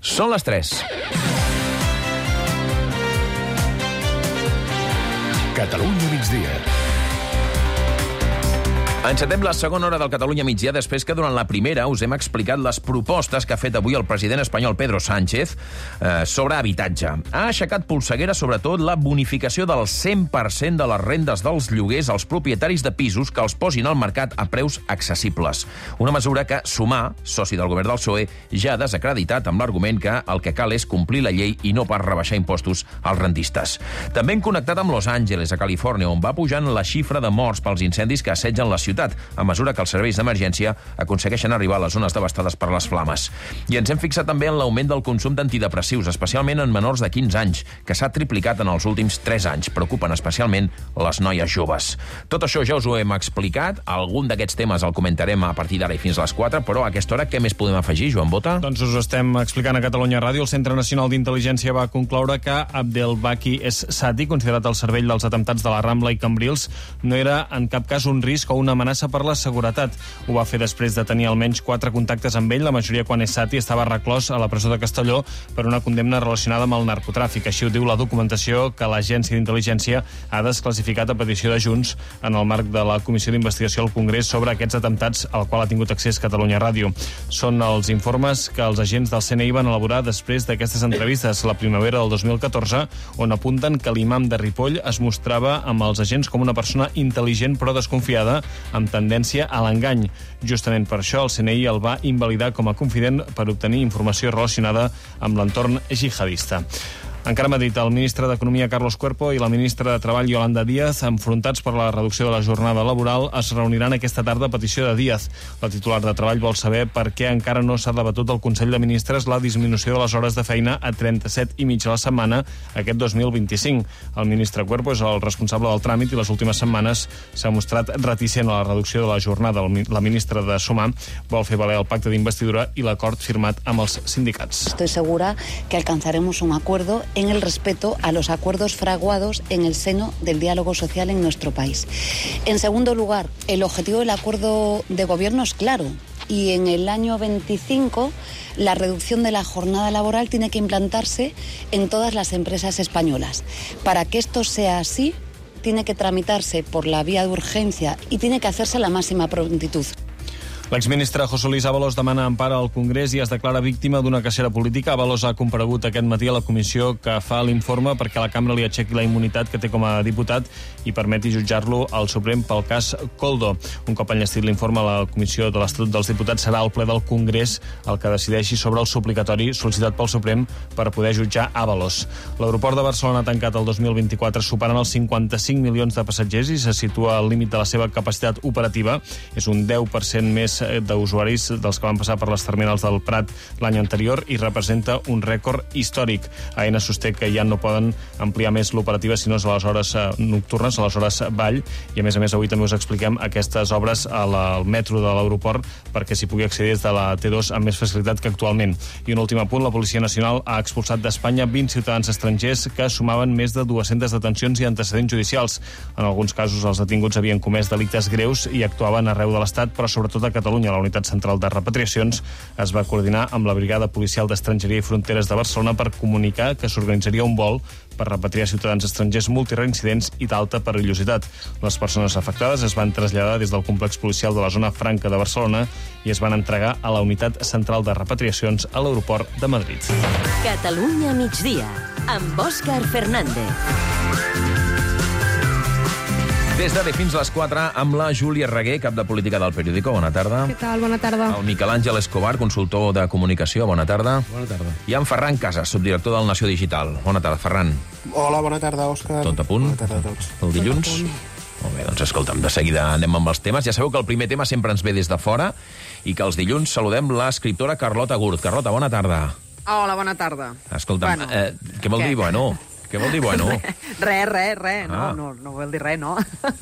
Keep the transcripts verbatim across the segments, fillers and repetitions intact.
Són les tres. Catalunya migdia. Encetem la segona hora del Catalunya migdia després que durant la primera us hem explicat les propostes que ha fet avui el president espanyol Pedro Sánchez eh, sobre habitatge. Ha aixecat polseguera sobretot la bonificació del cent per cent de les rendes dels lloguers als propietaris de pisos que els posin al mercat a preus accessibles. Una mesura que Sumar, soci del govern del P S O E, ja ha desacreditat amb l'argument que el que cal és complir la llei i no pas rebaixar impostos als rendistes. També hem connectat amb Los Angeles, a Califòrnia, on va pujant la xifra de morts pels incendis que assetgen la ciutat, a mesura que els serveis d'emergència aconsegueixen arribar a les zones devastades per les flames. I ens hem fixat també en l'augment del consum d'antidepressius, especialment en menors de quinze anys, que s'ha triplicat en els últims tres anys. Preocupen especialment les noies joves. Tot això ja us ho hem explicat. Algun d'aquests temes el comentarem a partir d'ara i fins a les quatre, però a aquesta hora què més podem afegir, Joan Bota? Doncs us ho estem explicant a Catalunya Ràdio. El Centre Nacional d'Intel·ligència va concloure que Abdelbaki Es-Sati, considerat el cervell dels atemptats de la Rambla i Cambrils, no era en cap cas un risc o una amenaça per la seguretat. Ho va fer després de tenir almenys quatre contactes amb ell, la majoria quan Es-Sati estava reclòs a la presó de Castelló per una condemna relacionada amb el narcotràfic. Així ho diu la documentació que l'Agència d'Intel·ligència ha desclassificat a petició de Junts en el marc de la Comissió d'Investigació al Congrés sobre aquests atemptats al qual ha tingut accés Catalunya Ràdio. Són els informes que els agents del C N I van elaborar després d'aquestes entrevistes la primavera del dos mil catorze, on apunten que l'imam de Ripoll es mostrava amb els agents com una persona intel·ligent però desconfiada, amb tendència a l'engany. Justament per això el C N I el va invalidar com a confident per obtenir informació relacionada amb l'entorn jihadista. Encara a Madrid, el ministre d'Economia, Carlos Cuerpo, i la ministra de Treball, Yolanda Díaz, enfrontats per la reducció de la jornada laboral, es reuniran aquesta tarda a petició de Díaz. La titular de Treball vol saber per què encara no s'ha debatut al Consell de Ministres la disminució de les hores de feina a trenta-set i mig a la setmana aquest dos mil vint-i-cinc. El ministre Cuerpo és el responsable del tràmit i les últimes setmanes s'ha mostrat reticent a la reducció de la jornada. La ministra de Sumar vol fer valer el pacte d'investidura i l'acord firmat amb els sindicats. Estoy segura que alcanzaremos un acuerdo en el respeto a los acuerdos fraguados en el seno del diálogo social en nuestro país. En segundo lugar, el objetivo del acuerdo de gobierno es claro y en el año veinticinco la reducción de la jornada laboral tiene que implantarse en todas las empresas españolas. Para que esto sea así, tiene que tramitarse por la vía de urgencia y tiene que hacerse a la máxima prontitud. L'exministre José Luis Ábalos demana empara al Congrés i es declara víctima d'una cacera política. Ábalos ha comparegut aquest matí a la comissió que fa l'informe perquè la cambra li aixequi la immunitat que té com a diputat i permeti jutjar-lo al Suprem pel cas Koldo. Un cop enllestit l'informe, la comissió de l'Estatut dels Diputats serà el ple del Congrés el que decideixi sobre el suplicatori sol·licitat pel Suprem per poder jutjar Ábalos. L'aeroport de Barcelona ha tancat el dos mil vint-i-quatre superant els cinquanta-cinc milions de passatgers i se situa al límit de la seva capacitat operativa. És un deu per cent més d'usuaris dels que van passar per les terminals del Prat l'any anterior i representa un rècord històric. Aena sosté que ja no poden ampliar més l'operativa sinó a les hores nocturnes, a les hores vall, i a més a més avui també us expliquem aquestes obres al metro de l'aeroport perquè s'hi pugui accedir des de la T dos amb més facilitat que actualment. I un últim apunt, la Policia Nacional ha expulsat d'Espanya vint ciutadans estrangers que sumaven més de dues-centes detencions i antecedents judicials. En alguns casos els detinguts havien comès delictes greus i actuaven arreu de l'Estat, però sobretot a Catalunya. La Unitat Central de Repatriacions es va coordinar amb la Brigada Policial d'Estrangeria i Fronteres de Barcelona per comunicar que s'organitzaria un vol per repatriar ciutadans estrangers multireincidents i d'alta perillositat. Les persones afectades es van traslladar des del complex policial de la zona franca de Barcelona i es van entregar a la Unitat Central de Repatriacions a l'aeroport de Madrid. Catalunya migdia, amb Òscar Fernández. Des d'ara fins a les quatre amb la Júlia Reguer, cap de política del Periódico. Bona tarda. Què tal? Bona tarda. El Miquel Àngel Escobar, consultor de comunicació. Bona tarda. Bona tarda. I en Ferran Casas, subdirector del Nació Digital. Bona tarda, Ferran. Hola, bona tarda, Òscar. Tot a punt? Bona tarda a tots. El dilluns? Molt bé, doncs escolta'm, de seguida anem amb els temes. Ja sabeu que el primer tema sempre ens ve des de fora i que els dilluns saludem l'escriptora Carlota Gurt. Carlota, bona tarda. Hola, bona tarda. Escolta'm, Bueno, eh, què vol què? dir, bueno? Què vol dir bueno? Res, res, res. No, Ah. no, no vol dir res, no.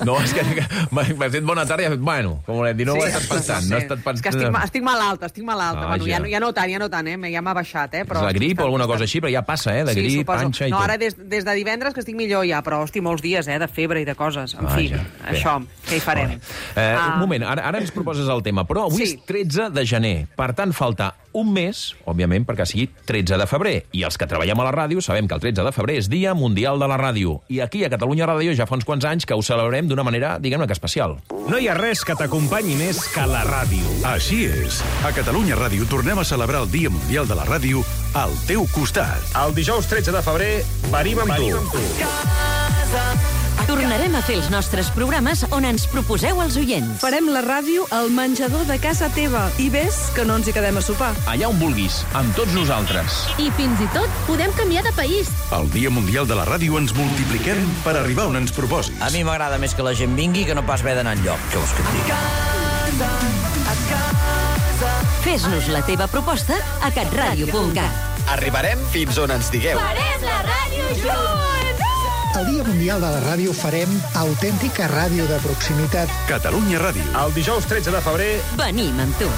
No, és que m'has dit bona tarda i has dit bueno, com volem dir, no ho he estat pensant. No he estat És que pensant... estic, ma- estic malalta, estic malalta. Ah, bueno, ja. ja, no, ja no tant, ja no tant, eh? Ja m'ha baixat, eh? Però És la grip o alguna estic- cosa així, però ja passa, eh? De grip, suposo. panxa i no, tot. ara des, des de divendres que estic millor ja, però hosti, molts dies, eh? De febre i de coses. En fi, Vaja, bé. això, què hi farem? Eh, Ah. Un moment, ara, ara ens proposes el tema, però avui Sí. és tretze de gener. Per tant, falta un mes, òbviament, perquè sigui tretze de febrer. I els que treballem a la ràdio sabem que el tretze de febrer és Dia Mundial de la Ràdio. I aquí, a Catalunya Ràdio, ja fa uns quants anys que ho celebrem d'una manera, diguem-ne que especial. No hi ha res que t'acompanyi més que la ràdio. Així és. A Catalunya Ràdio tornem a celebrar el Dia Mundial de la Ràdio al teu costat. El dijous tretze de febrer venim amb tu. Tornarem a fer els nostres programes on ens proposeu els oients. Farem la ràdio al menjador de casa teva. I ves que no ens hi quedem a sopar. Allà on vulguis, amb tots nosaltres. I fins i tot podem canviar de país. El Dia Mundial de la Ràdio ens multipliquem per arribar on ens proposis. A mi m'agrada més que la gent vingui que no pas haver d'anar enlloc. Què vols que et digui? Fes-nos la teva proposta a catradio punt cat. Arribarem fins on ens digueu. Farem la ràdio junts! El Dia Mundial de la Ràdio farem autèntica ràdio de proximitat. Catalunya Ràdio. El dijous tretze de febrer Venim amb tu.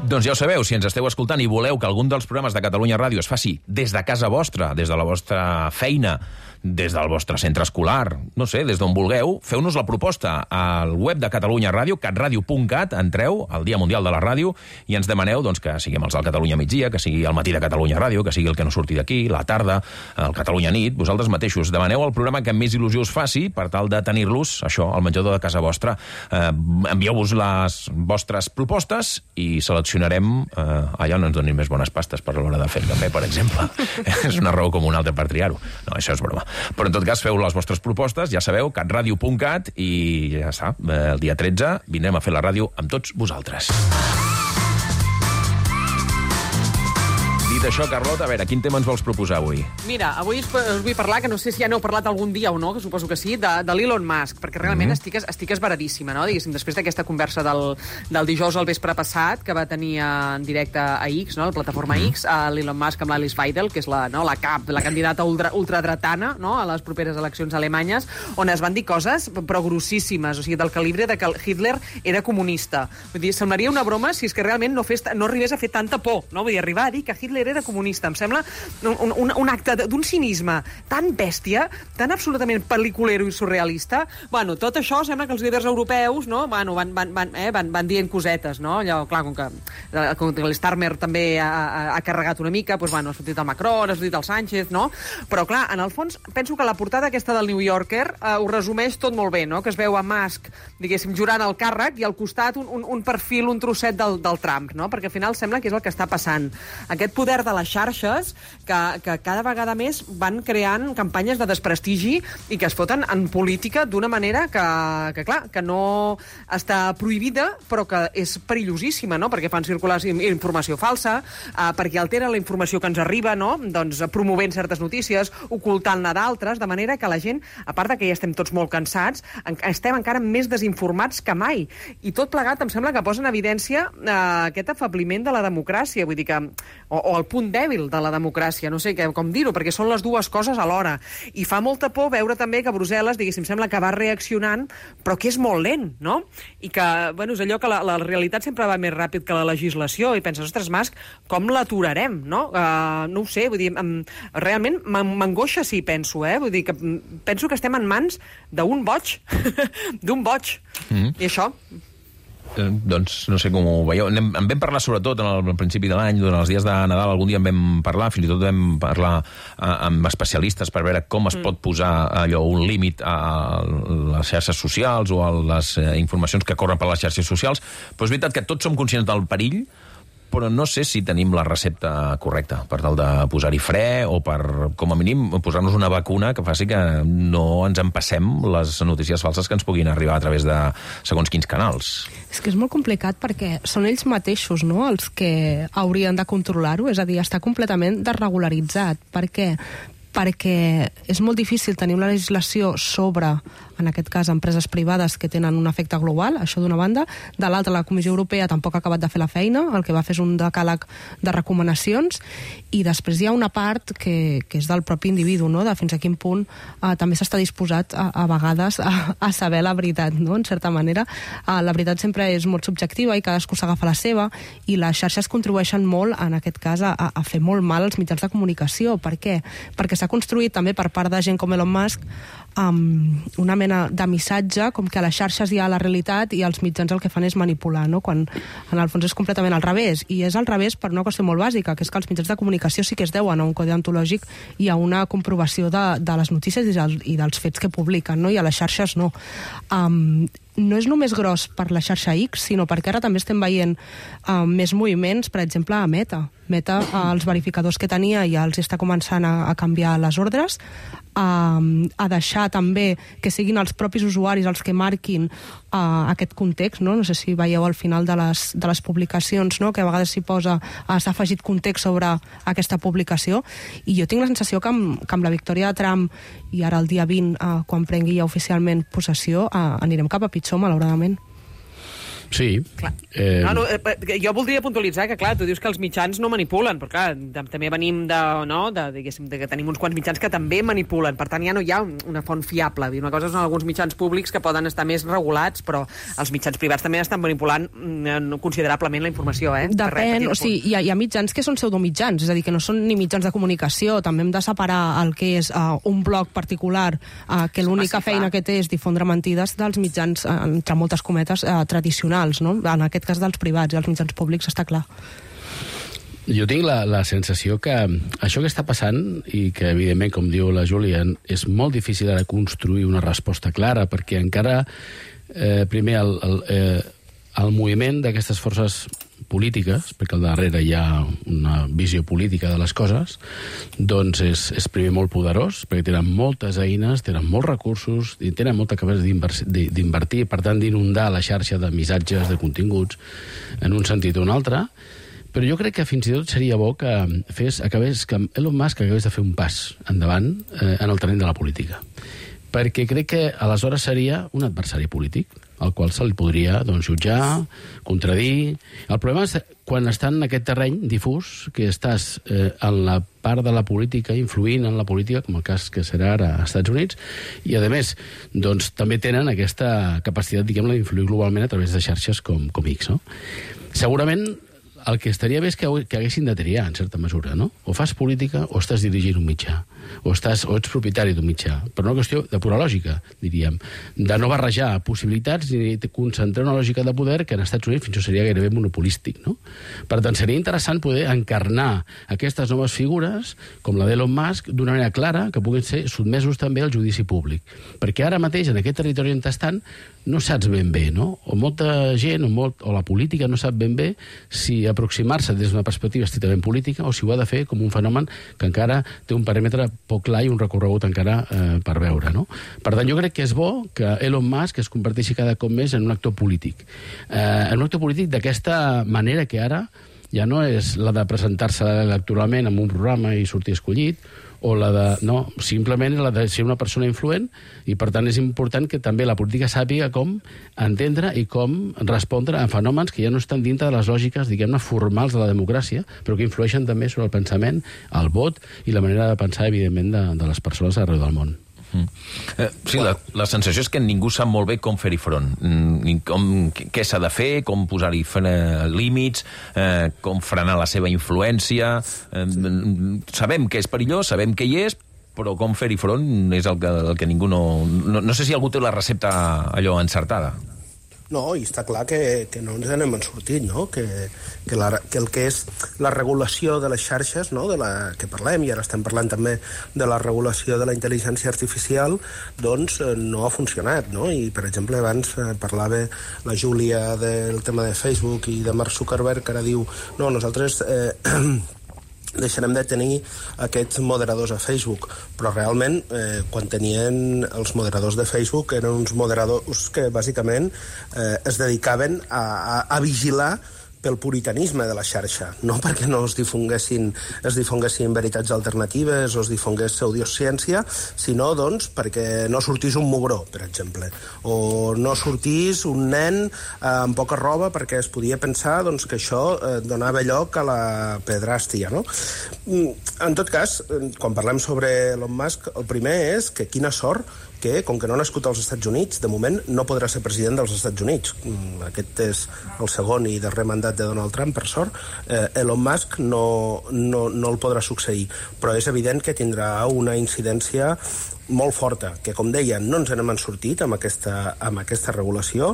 Doncs ja ho sabeu, si ens esteu escoltant i voleu que algun dels programes de Catalunya Ràdio es faci des de casa vostra, des de la vostra feina, des del vostre centre escolar, no sé, des d'on vulgueu, feu-nos la proposta al web de Catalunya Ràdio, catradio punt cat, entreu al Dia Mundial de la Ràdio i ens demaneu doncs, que siguem els del Catalunya migdia, que sigui el matí de Catalunya Ràdio, que sigui el que no surti d'aquí, la tarda, el Catalunya nit, vosaltres mateixos. Demaneu el programa que més il·lusió us faci per tal de tenir-los, això, al menjador de casa vostra. Eh, envieu-vos les vostres propostes i seleccionarem eh, allà on ens donin més bones pastes per l'hora de fer el cafè, per exemple. És una raó com una altra per triar-ho. No, això és broma. Però en tot cas, feu les vostres propostes, ja sabeu, catradio punt cat, i ja està, el dia tretze vindrem a fer la ràdio amb tots vosaltres. Dit això, Carlota, a veure, quin tema ens vols proposar avui? Mira, avui us, us vull parlar, que no sé si ja n'heu parlat algun dia o no, que suposo que sí, de, de l'Elon Musk, perquè realment mm-hmm. estic, estic esveradíssima, no? Diguéssim, després d'aquesta conversa del, del dijous al vespre passat, que va tenir en directe a X, no? La plataforma mm-hmm. X, a l'Elon Musk amb l'Alice Weidel, que és la, no? la cap, la candidata ultra, ultradretana, no? A les properes eleccions alemanyes, on es van dir coses però grossíssimes, o sigui, del calibre de que Hitler era comunista. Vull dir, semblaria una broma si és que realment no, fes, no arribés a fer tanta por, no? Vull dir, arribar a dir que Hitler era comunista. Em sembla un, un, un acte d'un cinisme tan bèstia, tan absolutament pel·liculero i surrealista. Bueno, tot això sembla que els líders europeus, no? Bueno, van, van, van, eh, van, van dient cosetes, no? Allò, clar, com que, com que l'Starmer també ha, ha, ha carregat una mica, doncs, bueno, ha sortit el Macron, ha sortit el Sánchez, no? Però, clar, en el fons, penso que la portada aquesta del New Yorker eh, ho resumeix tot molt bé, no? Que es veu a Musk, diguéssim, jurant el càrrec i al costat un, un, un perfil, un trosset del, del Trump, no? Perquè al final sembla que és el que està passant. Aquest poder de les xarxes que, que cada vegada més van creant campanyes de desprestigi i que es foten en política d'una manera que, que, clar, que no està prohibida, però que és perillosíssima, no? Perquè fan circular informació falsa, eh, perquè altera la informació que ens arriba, no? Doncs promovent certes notícies, ocultant-ne d'altres, de manera que la gent, a part de que ja estem tots molt cansats, en, estem encara més desinformats que mai. I tot plegat em sembla que posa en evidència eh, aquest afabliment de la democràcia, vull dir que, o, o el punt dèbil de la democràcia, no sé que, com dir-ho, perquè són les dues coses alhora. I fa molta por veure també que Brussel·les, diguéssim, sembla que va reaccionant, però que és molt lent, no? I que, bueno, és allò que la, la realitat sempre va més ràpid que la legislació, i penses, ostres, Musk, com l'aturarem, no? Uh, no ho sé, vull dir, um, realment m'angoixa si penso, eh? Vull dir que penso que estem en mans d'un boig, d'un boig. Mm. I això... Eh, doncs no sé com ho veieu. En, en vam parlar sobretot en el, al principi de l'any, durant els dies de Nadal, algun dia en vam parlar, fins i tot vam parlar eh, amb especialistes per veure com es mm. pot posar allò, un límit a les xarxes socials o a les eh, informacions que corren per les xarxes socials, però és veritat que tots som conscients del perill, però no sé si tenim la recepta correcta per tal de posar-hi fre o per, com a mínim, posar-nos una vacuna que faci que no ens empassem les notícies falses que ens puguin arribar a través de segons quins canals. És que és molt complicat perquè són ells mateixos, no?, els que haurien de controlar-ho, és a dir, està completament desregularitzat. Per què? perquè és molt difícil tenir una legislació sobre, en aquest cas, empreses privades que tenen un efecte global, això d'una banda. De l'altra, la Comissió Europea tampoc ha acabat de fer la feina, el que va fer és un decàleg de recomanacions, i després hi ha una part que, que és del propi individu, no? De fins a quin punt eh, també s'està disposat a, a vegades a, a saber la veritat, no? En certa manera. Eh, la veritat sempre és molt subjectiva i cadascú s'agafa la seva, i les xarxes contribueixen molt, en aquest cas, a, a fer molt mal als mitjans de comunicació. Per què? Perquè s'ha construït també per part de gent com Elon Musk um, una mena de missatge com que a les xarxes hi ha la realitat i els mitjans el que fan és manipular, no? Quan en el fons és completament al revés, i és al revés per una qüestió molt bàsica, que és que els mitjans de comunicació sí que es deuen a un codi ontològic i a una comprovació de, de les notícies i, del, i dels fets que publiquen, no? I a les xarxes no. Um, no és només gros per la xarxa X, sinó perquè ara també estem veient uh, més moviments, per exemple, a Meta. Meta, uh, els verificadors que tenia ja els està començant a, a canviar les ordres, uh, a deixar també que siguin els propis usuaris els que marquin uh, aquest context, no? No sé si veieu al final de les, de les publicacions, no? Que a vegades s'hi posa, uh, s'ha afegit context sobre aquesta publicació, i jo tinc la sensació que amb, que amb la victòria de Trump i ara el dia vint, uh, quan prengui ja oficialment possessió, uh, anirem cap a pitjor, malauradament. Sí. Eh... No, no, eh, jo voldria puntualitzar que, clar, tu dius que els mitjans no manipulen, però, clar, de, també venim de, no, de, diguéssim, de que tenim uns quants mitjans que també manipulen. Per tant, ja no hi ha una font fiable. Una cosa són alguns mitjans públics que poden estar més regulats, però els mitjans privats també estan manipulant considerablement la informació, eh? Depèn, o sigui, hi ha, hi ha mitjans que són pseudomitjans, és a dir, que no són ni mitjans de comunicació. També hem de separar el que és uh, un blog particular, uh, que l'única feina que té és difondre mentides, dels mitjans, uh, entre moltes cometes, uh, tradicionals. No? En aquest cas dels privats i els mitjans públics està clar. Jo tinc la, la sensació que això que està passant, i que evidentment, com diu la Júlia, és molt difícil ara construir una resposta clara, perquè encara eh, primer el, el, eh, el moviment d'aquestes forces polítiques, perquè al darrere hi ha una visió política de les coses, doncs és, és primer molt poderós, perquè tenen moltes eines, tenen molts recursos, i tenen molta capacitat d'invertir, per tant d'inundar la xarxa de missatges, de continguts, en un sentit o un altre. Però jo crec que fins i tot seria bo que fes, acabés, que Elon Musk acabés de fer un pas endavant eh, en el terreny de la política. Perquè crec que aleshores seria un adversari polític, al qual se li podria doncs, jutjar, contradir. El problema és quan està en aquest terreny difús, que estàs eh, en la part de la política, influint en la política, com el cas que serà ara als Estats Units, i, a més, doncs, també tenen aquesta capacitat, diguem-ne, d'influir globalment a través de xarxes com, com X, no? Segurament el que estaria bé és que, que haguessin de triar, en certa mesura, no? O fas política o estàs dirigint un mitjà, o, estàs, o ets propietari d'un mitjà. Per una qüestió de pura lògica, diríem, de no barrejar possibilitats ni concentrar una lògica de poder que en Estats Units fins i tot seria gairebé monopolístic, no? Per tant, seria interessant poder encarnar aquestes noves figures, com la d'Elon Musk, d'una manera clara, que puguin ser sotmesos també al judici públic. Perquè ara mateix, en aquest territori on estan, no saps ben bé, no? O molta gent, o, molt, o la política no sap ben bé si aproximar-se des d'una perspectiva estrictament política o si ho ha de fer com un fenomen que encara té un paràmetre poc clar i un recorregut encara eh, per veure, no? Per tant, jo crec que és bo que Elon Musk es converteixi cada cop més en un actor polític. Eh, en un actor polític d'aquesta manera que ara ja no és la de presentar-se electoralment en un programa i sortir escollit, o la de... No, simplement la de ser una persona influent, i per tant és important que també la política sàpiga com entendre i com respondre a fenòmens que ja no estan dintre de les lògiques, diguem-ne, formals de la democràcia, però que influeixen també sobre el pensament, el vot i la manera de pensar, evidentment, de, de les persones arreu del món. Mm. Eh, sí, la, la sensació és que ningú sap molt bé com fer-hi front, mm, com, què s'ha de fer, com posar-hi límits, eh, com frenar la seva influència. Eh, sabem que és perillós, sabem que hi és, però com fer-hi front és el que, el que ningú no, no... No sé si algú té la recepta allò encertada. No, i està clar que, que no ens n'hem sortit, no? Que, que, la, que el que és la regulació de les xarxes, no? De la que parlem, i ara estem parlant també de la regulació de la intel·ligència artificial, doncs eh, no ha funcionat, no? I, per exemple, abans eh, parlava la Júlia del tema de Facebook i de Mark Zuckerberg, que ara diu, no, nosaltres... Eh, deixarem de tenir aquests moderadors a Facebook, però realment eh, quan tenien els moderadors de Facebook eren uns moderadors que bàsicament eh, es dedicaven a, a, a vigilar pel puritanisme de la xarxa, no perquè no es difonguessin, es difonguessin veritats alternatives o es difongués pseudociència, sinó doncs, perquè no sortís un mugró, per exemple, o no sortís un nen eh, amb poca roba perquè es podia pensar doncs, que això eh, donava lloc a la pedràstia. No? En tot cas, quan parlem sobre Elon Musk, el primer és que quina sort que, com que no ha nascut als Estats Units, de moment no podrà ser president dels Estats Units. Aquest és el segon i darrer mandat de Donald Trump, per sort. Eh, Elon Musk no, no, no el podrà succeir, però és evident que tindrà una incidència molt forta, que, com deia, no ens n'hem sortit amb aquesta, amb aquesta regulació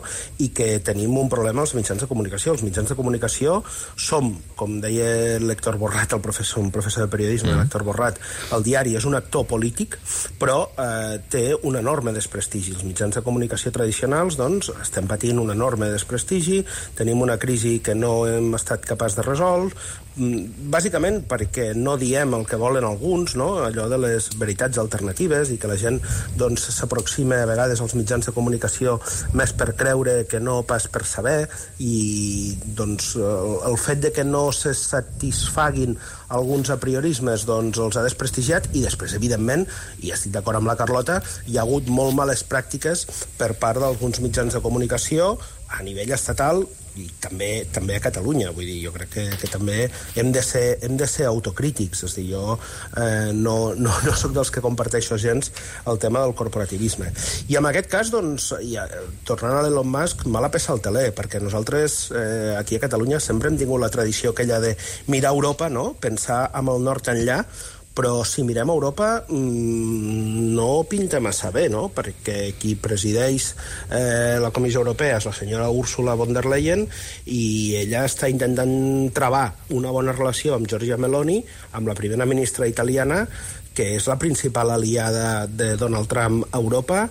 i que tenim un problema als mitjans de comunicació. Els mitjans de comunicació som, com deia l'Héctor Borrat, el professor, un professor de periodisme, mm. l'Héctor Borrat, el diari és un actor polític, però eh, té un enorme desprestigi. Els mitjans de comunicació tradicionals, doncs, estem patint un enorme desprestigi, tenim una crisi que no hem estat capaç de resoldre, bàsicament perquè no diem el que volen alguns, no? Allò de les veritats alternatives, i que la gent doncs, s'aproxima a vegades als mitjans de comunicació més per creure que no pas per saber, i doncs, el, el fet de que no se satisfaguin alguns apriorismes doncs, els ha desprestigiat, i després, evidentment, i estic d'acord amb la Carlota, hi ha hagut molt males pràctiques per part d'alguns mitjans de comunicació a nivell estatal i també també a Catalunya. Vull dir, jo crec que, que també hem de ser, hem de ser autocrítics. És a dir, jo eh, no, no, no soc dels que comparteixo gens el tema del corporativisme. I en aquest cas, doncs, ja, tornant a l'Elon Musk, mala peça al teler, perquè nosaltres eh, aquí a Catalunya sempre hem tingut la tradició aquella de mirar Europa, no? Pensar amb el nord enllà, però si mirem a Europa mmm, no pinta massa bé, no? Perquè qui presideix eh, la Comissió Europea és la senyora Ursula von der Leyen, i ella està intentant travar una bona relació amb Giorgia Meloni, amb la primera ministra italiana, que és la principal aliada de Donald Trump a Europa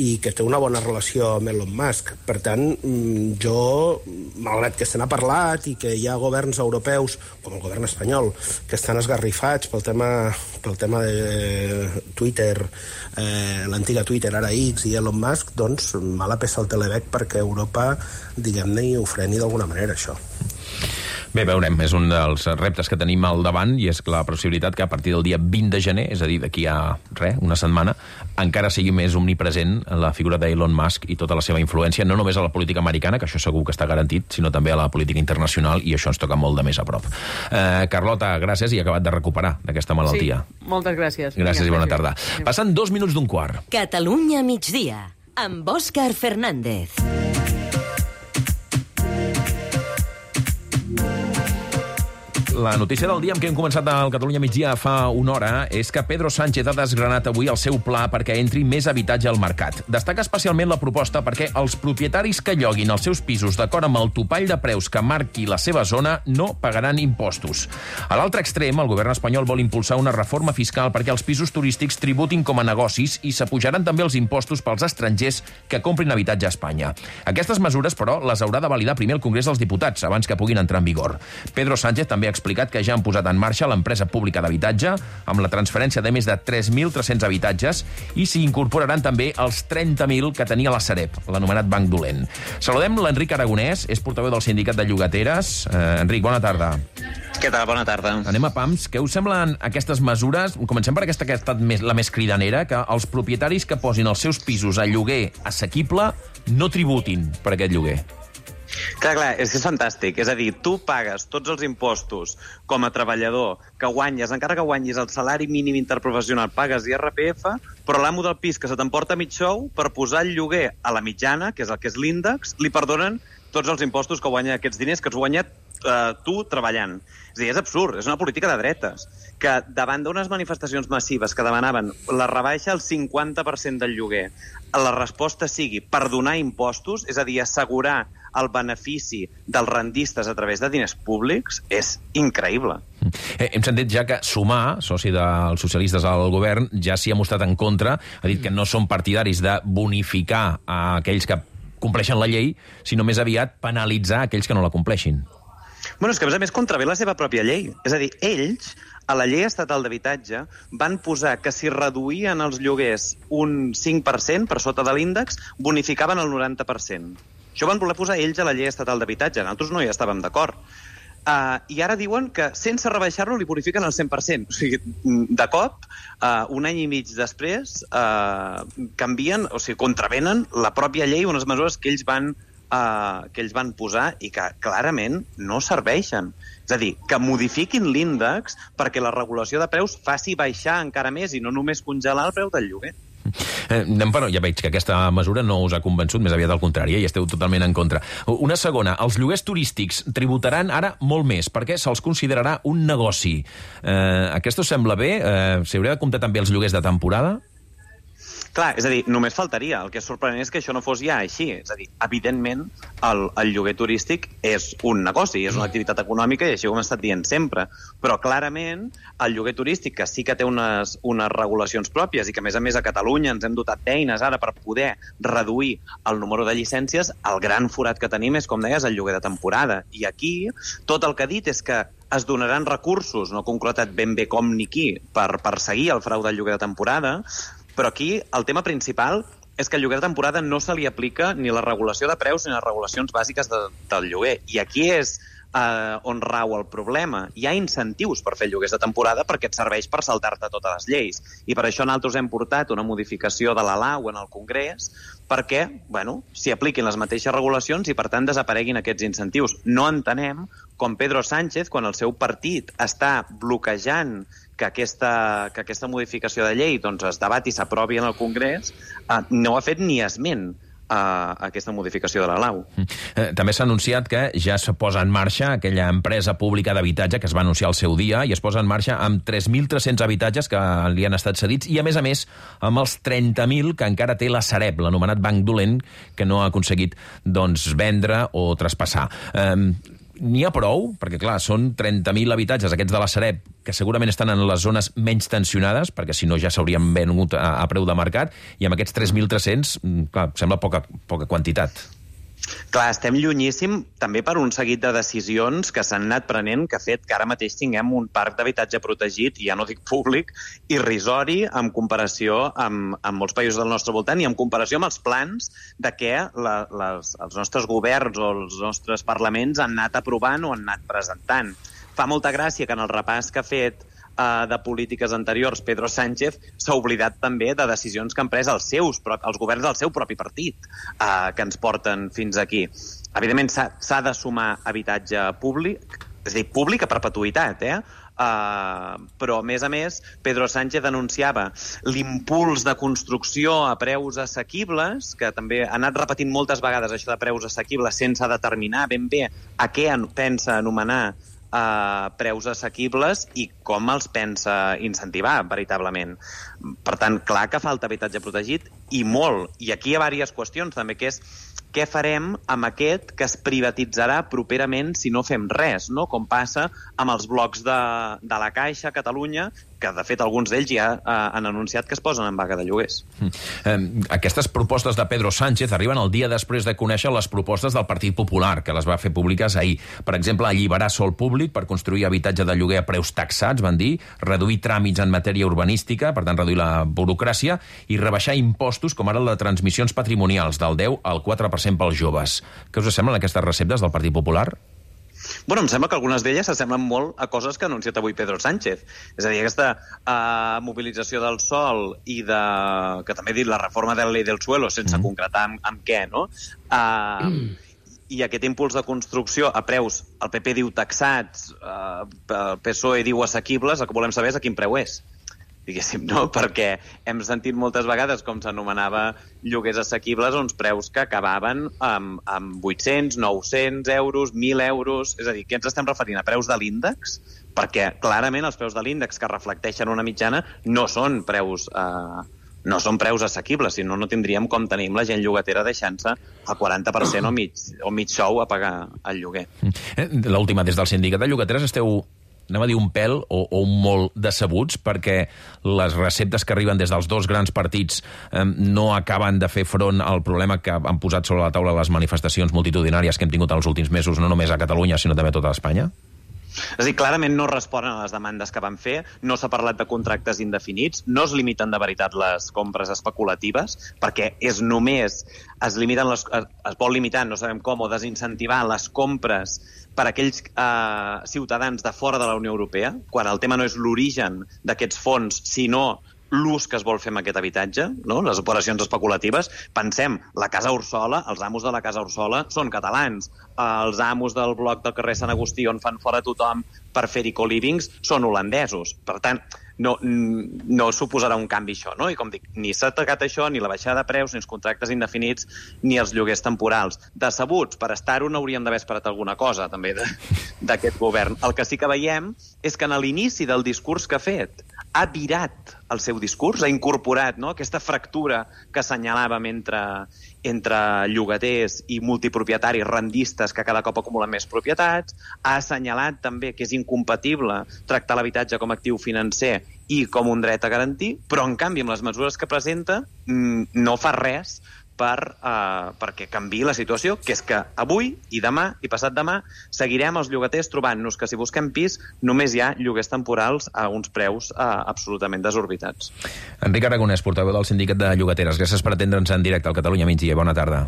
i que té una bona relació amb Elon Musk. Per tant, jo, malgrat que se n'ha parlat i que hi ha governs europeus, com el govern espanyol, que estan esgarrifats pel tema, pel tema de Twitter, eh, l'antiga Twitter, ara X, i Elon Musk, doncs mala peça al telebec perquè Europa, diguem-ne, ho freni d'alguna manera, això. Bé, veurem, és un dels reptes que tenim al davant, i és la possibilitat que a partir del dia vint de gener, és a dir, d'aquí a res, una setmana, encara sigui més omnipresent la figura d'Elon Musk i tota la seva influència, no només a la política americana, que això segur que està garantit, sinó també a la política internacional, i això ens toca molt de més a prop. Eh, Carlota, gràcies, i acabat de recuperar d'aquesta malaltia. Sí, moltes gràcies. Gràcies i bona tarda. Passen dos minuts d'un quart. Catalunya migdia, amb Òscar Fernández. La notícia del dia amb què hem començat al Catalunya migdia fa una hora és que Pedro Sánchez ha desgranat avui el seu pla perquè entri més habitatge al mercat. Destaca especialment la proposta perquè els propietaris que lloguin els seus pisos d'acord amb el topall de preus que marqui la seva zona no pagaran impostos. A l'altre extrem, el govern espanyol vol impulsar una reforma fiscal perquè els pisos turístics tributin com a negocis i s'apujaran també els impostos pels estrangers que comprin habitatge a Espanya. Aquestes mesures, però, les haurà de validar primer el Congrés dels Diputats abans que puguin entrar en vigor. Pedro Sánchez també ha explicat que ja han posat en marxa l'empresa pública d'habitatge amb la transferència de més de tres mil tres-cents habitatges, i s'hi incorporaran també els trenta mil que tenia la Sareb, l'anomenat Banc Dolent. Saludem l'Enric Aragonès, és portaveu del Sindicat de Llogateres. Eh, Enric, bona tarda. Què tal? Bona tarda. Anem a pams. Què us semblen aquestes mesures? Comencem per aquesta que ha estat més, la més cridanera, que els propietaris que posin els seus pisos a lloguer assequible no tributin per aquest lloguer. Clar, clar, és que és fantàstic. És a dir, tu pagues tots els impostos com a treballador que guanyes, encara que guanyis el salari mínim interprofessional, pagues I R P F, però l'amo del pis que se t'emporta mig sou, per posar el lloguer a la mitjana, que és el que és l'índex, li perdonen tots els impostos que guanya aquests diners que has guanyat eh, tu treballant. És a dir, és absurd, és una política de dretes, que davant d'unes manifestacions massives que demanaven la rebaixa al cinquanta per cent del lloguer, la resposta sigui perdonar impostos, és a dir, assegurar el benefici dels rendistes a través de diners públics, és increïble. Eh, hem sentit ja que Sumar, soci dels socialistes al govern, ja s'hi ha mostrat en contra, ha dit que no són partidaris de bonificar a aquells que compleixen la llei, sinó més aviat penalitzar aquells que no la compleixin. Bueno, és que a més a més contravé la seva pròpia llei. És a dir, ells, a la llei estatal d'habitatge, van posar que si reduïen els lloguers un cinc per cent per sota de l'índex, bonificaven el noranta per cent. Això van voler posar ells a la llei estatal d'habitatge. Nosaltres no hi estàvem d'acord. Uh, I ara diuen que sense rebaixar-lo li bonifiquen el cent per cent. O sigui, de cop, uh, un any i mig després, uh, canvien, o sigui, contravenen la pròpia llei, unes mesures que ells van, uh, que ells van posar i que clarament no serveixen. És a dir, que modifiquin l'índex perquè la regulació de preus faci baixar encara més i no només congelar el preu del lloguer. Eh, però ja veig que aquesta mesura no us ha convençut, més aviat al contrari, i esteu totalment en contra. Una segona, els lloguers turístics tributaran ara molt més, perquè se'ls considerarà un negoci. Eh, aquest us sembla bé? Eh, S'hauria de comptar també els lloguers de temporada? Clar, és a dir, només faltaria. El que és sorprenent és que això no fos ja així. És a dir, evidentment, el, el lloguer turístic és un negoci, és una activitat econòmica i així ho hem estat dient sempre. Però clarament, el lloguer turístic, que sí que té unes, unes regulacions pròpies i que, a més a més, a Catalunya ens hem dotat d'eines ara per poder reduir el número de llicències, el gran forat que tenim és, com deies, el lloguer de temporada. I aquí, tot el que ha dit és que es donaran recursos, no concretat ben bé com ni qui, per perseguir el frau del lloguer de temporada, però aquí el tema principal és que al lloguer de temporada no se li aplica ni la regulació de preus ni les regulacions bàsiques de, del lloguer. I aquí és eh, on rau el problema. Hi ha incentius per fer lloguers de temporada perquè et serveix per saltar-te totes les lleis. I per això nosaltres hem portat una modificació de la Lau en el Congrés perquè, bueno, s'hi apliquin les mateixes regulacions i, per tant, desapareguin aquests incentius. No entenem com Pedro Sánchez, quan el seu partit està bloquejant que aquesta, que aquesta modificació de llei doncs, es debati i s'aprovi en el Congrés, eh, no ha fet ni esment a aquesta modificació de la Lau. Eh, també s'ha anunciat que ja se posa en marxa aquella empresa pública d'habitatge que es va anunciar al seu dia i es posa en marxa amb tres mil tres-cents habitatges que li han estat cedits i, a més a més, amb els trenta mil que encara té la Sareb, l'anomenat banc dolent, que no ha aconseguit doncs, vendre o traspassar. Eh, N'hi ha prou? Perquè, clar, són trenta mil habitatges, aquests de la Sareb, que segurament estan en les zones menys tensionades, perquè si no ja s'haurien venut a, a preu de mercat, i amb aquests tres mil tres-cents, clar, sembla poca, poca quantitat. Clar, estem llunyíssim també per un seguit de decisions que s'han anat prenent, que ha fet que ara mateix tinguem un parc d'habitatge protegit, i ja no dic públic, irrisori en comparació amb, amb molts països del nostre voltant i en comparació amb els plans de què la, les, els nostres governs o els nostres parlaments han anat aprovant o han anat presentant. Fa molta gràcia que en el repàs que ha fet de polítiques anteriors, Pedro Sánchez s'ha oblidat també de decisions que han pres els seus, els governs del seu propi partit, eh, que ens porten fins aquí. Evidentment, s'ha de sumar habitatge públic, és a dir, públic a perpetuïtat, eh? Uh, però, a més a més, Pedro Sánchez anunciava l'impuls de construcció a preus assequibles, que també ha anat repetint moltes vegades això de preus assequibles sense determinar ben bé a què pensa anomenar Uh, preus assequibles i com els pensa incentivar, veritablement. Per tant, clar que falta habitatge protegit, i molt. I aquí hi ha diverses qüestions, també, que és què farem amb aquest que es privatitzarà properament si no fem res, no? Com passa amb els blocs de, de la Caixa a Catalunya, que, de fet, alguns d'ells ja eh, han anunciat que es posen en vaga de lloguers. Eh, aquestes propostes de Pedro Sánchez arriben el dia després de conèixer les propostes del Partit Popular, que les va fer públiques ahir. Per exemple, alliberar sòl públic per construir habitatge de lloguer a preus taxats, van dir, reduir tràmits en matèria urbanística, per tant, reduir la burocràcia, i rebaixar impostos, com ara la de transmissions patrimonials, del deu al quatre per cent pels joves. Què us semblen aquestes receptes del Partit Popular? Bueno, em sembla que algunes d'elles s'assemblen molt a coses que ha anunciat avui Pedro Sánchez. És a dir, aquesta uh, mobilització del sòl i de, que també ha dit la reforma de la llei del suelo, sense mm. concretar amb, amb què, no? Uh, mm. I aquest impuls de construcció a preus, el P P diu taxats, uh, el P S O E diu assequibles, el que volem saber és a quin preu és. Diguéssim, no? Perquè hem sentit moltes vegades com s'anomenava lloguers assequibles uns preus que acabaven amb, amb vuit-cents, nou-cents euros, mil euros... És a dir, què ens estem referint? A preus de l'índex? Perquè, clarament, els preus de l'índex que reflecteixen una mitjana no són preus... Eh, no són preus assequibles, si no, no tindríem com tenim la gent llogatera deixant-se el quaranta per cent o mig, o mig sou a pagar el lloguer. L'última, des del sindicat de llogateres esteu... anem a dir un pèl o, o un molt decebuts perquè les receptes que arriben des dels dos grans partits eh, no acaben de fer front al problema que han posat sobre la taula les manifestacions multitudinàries que hem tingut els últims mesos, no només a Catalunya, sinó també a tota Espanya? És a dir, clarament no responen a les demandes que van fer, no s'ha parlat de contractes indefinits, no es limiten de veritat les compres especulatives, perquè és només, es limiten les, es vol limitar, no sabem com, o desincentivar les compres per a aquells eh, ciutadans de fora de la Unió Europea, quan el tema no és l'origen d'aquests fons, sinó l'ús que es vol fer amb aquest habitatge, no? Les operacions especulatives. Pensem, la Casa Ursola, els amos de la Casa Ursola són catalans, els amos del bloc del carrer Sant Agustí on fan fora tothom per fer-hi co-livings són holandesos. Per tant, no, no suposarà un canvi això, no? I com dic, ni s'ha atacat això, ni la baixada de preus, ni els contractes indefinits, ni els lloguers temporals. Decebuts, per estar-ho no hauríem d'haver esperat alguna cosa, també, d'aquest govern. El que sí que veiem és que en l'inici del discurs que ha fet ha virat el seu discurs, ha incorporat, no?, aquesta fractura que assenyalàvem entre, entre llogaters i multipropietaris rendistes que cada cop acumulen més propietats, ha assenyalat també que és incompatible tractar l'habitatge com a actiu financer i com un dret a garantir, però en canvi amb les mesures que presenta no fa res per, uh, perquè canvi la situació, que és que avui i demà i passat demà seguirem els llogaters trobant-nos que si busquem pis només hi ha lloguers temporals a uns preus uh, absolutament desorbitats. Enric Aragonès, portaveu del Sindicat de Llogateres. Gràcies per atendre'ns en directe al Catalunya Migdia. Bona tarda.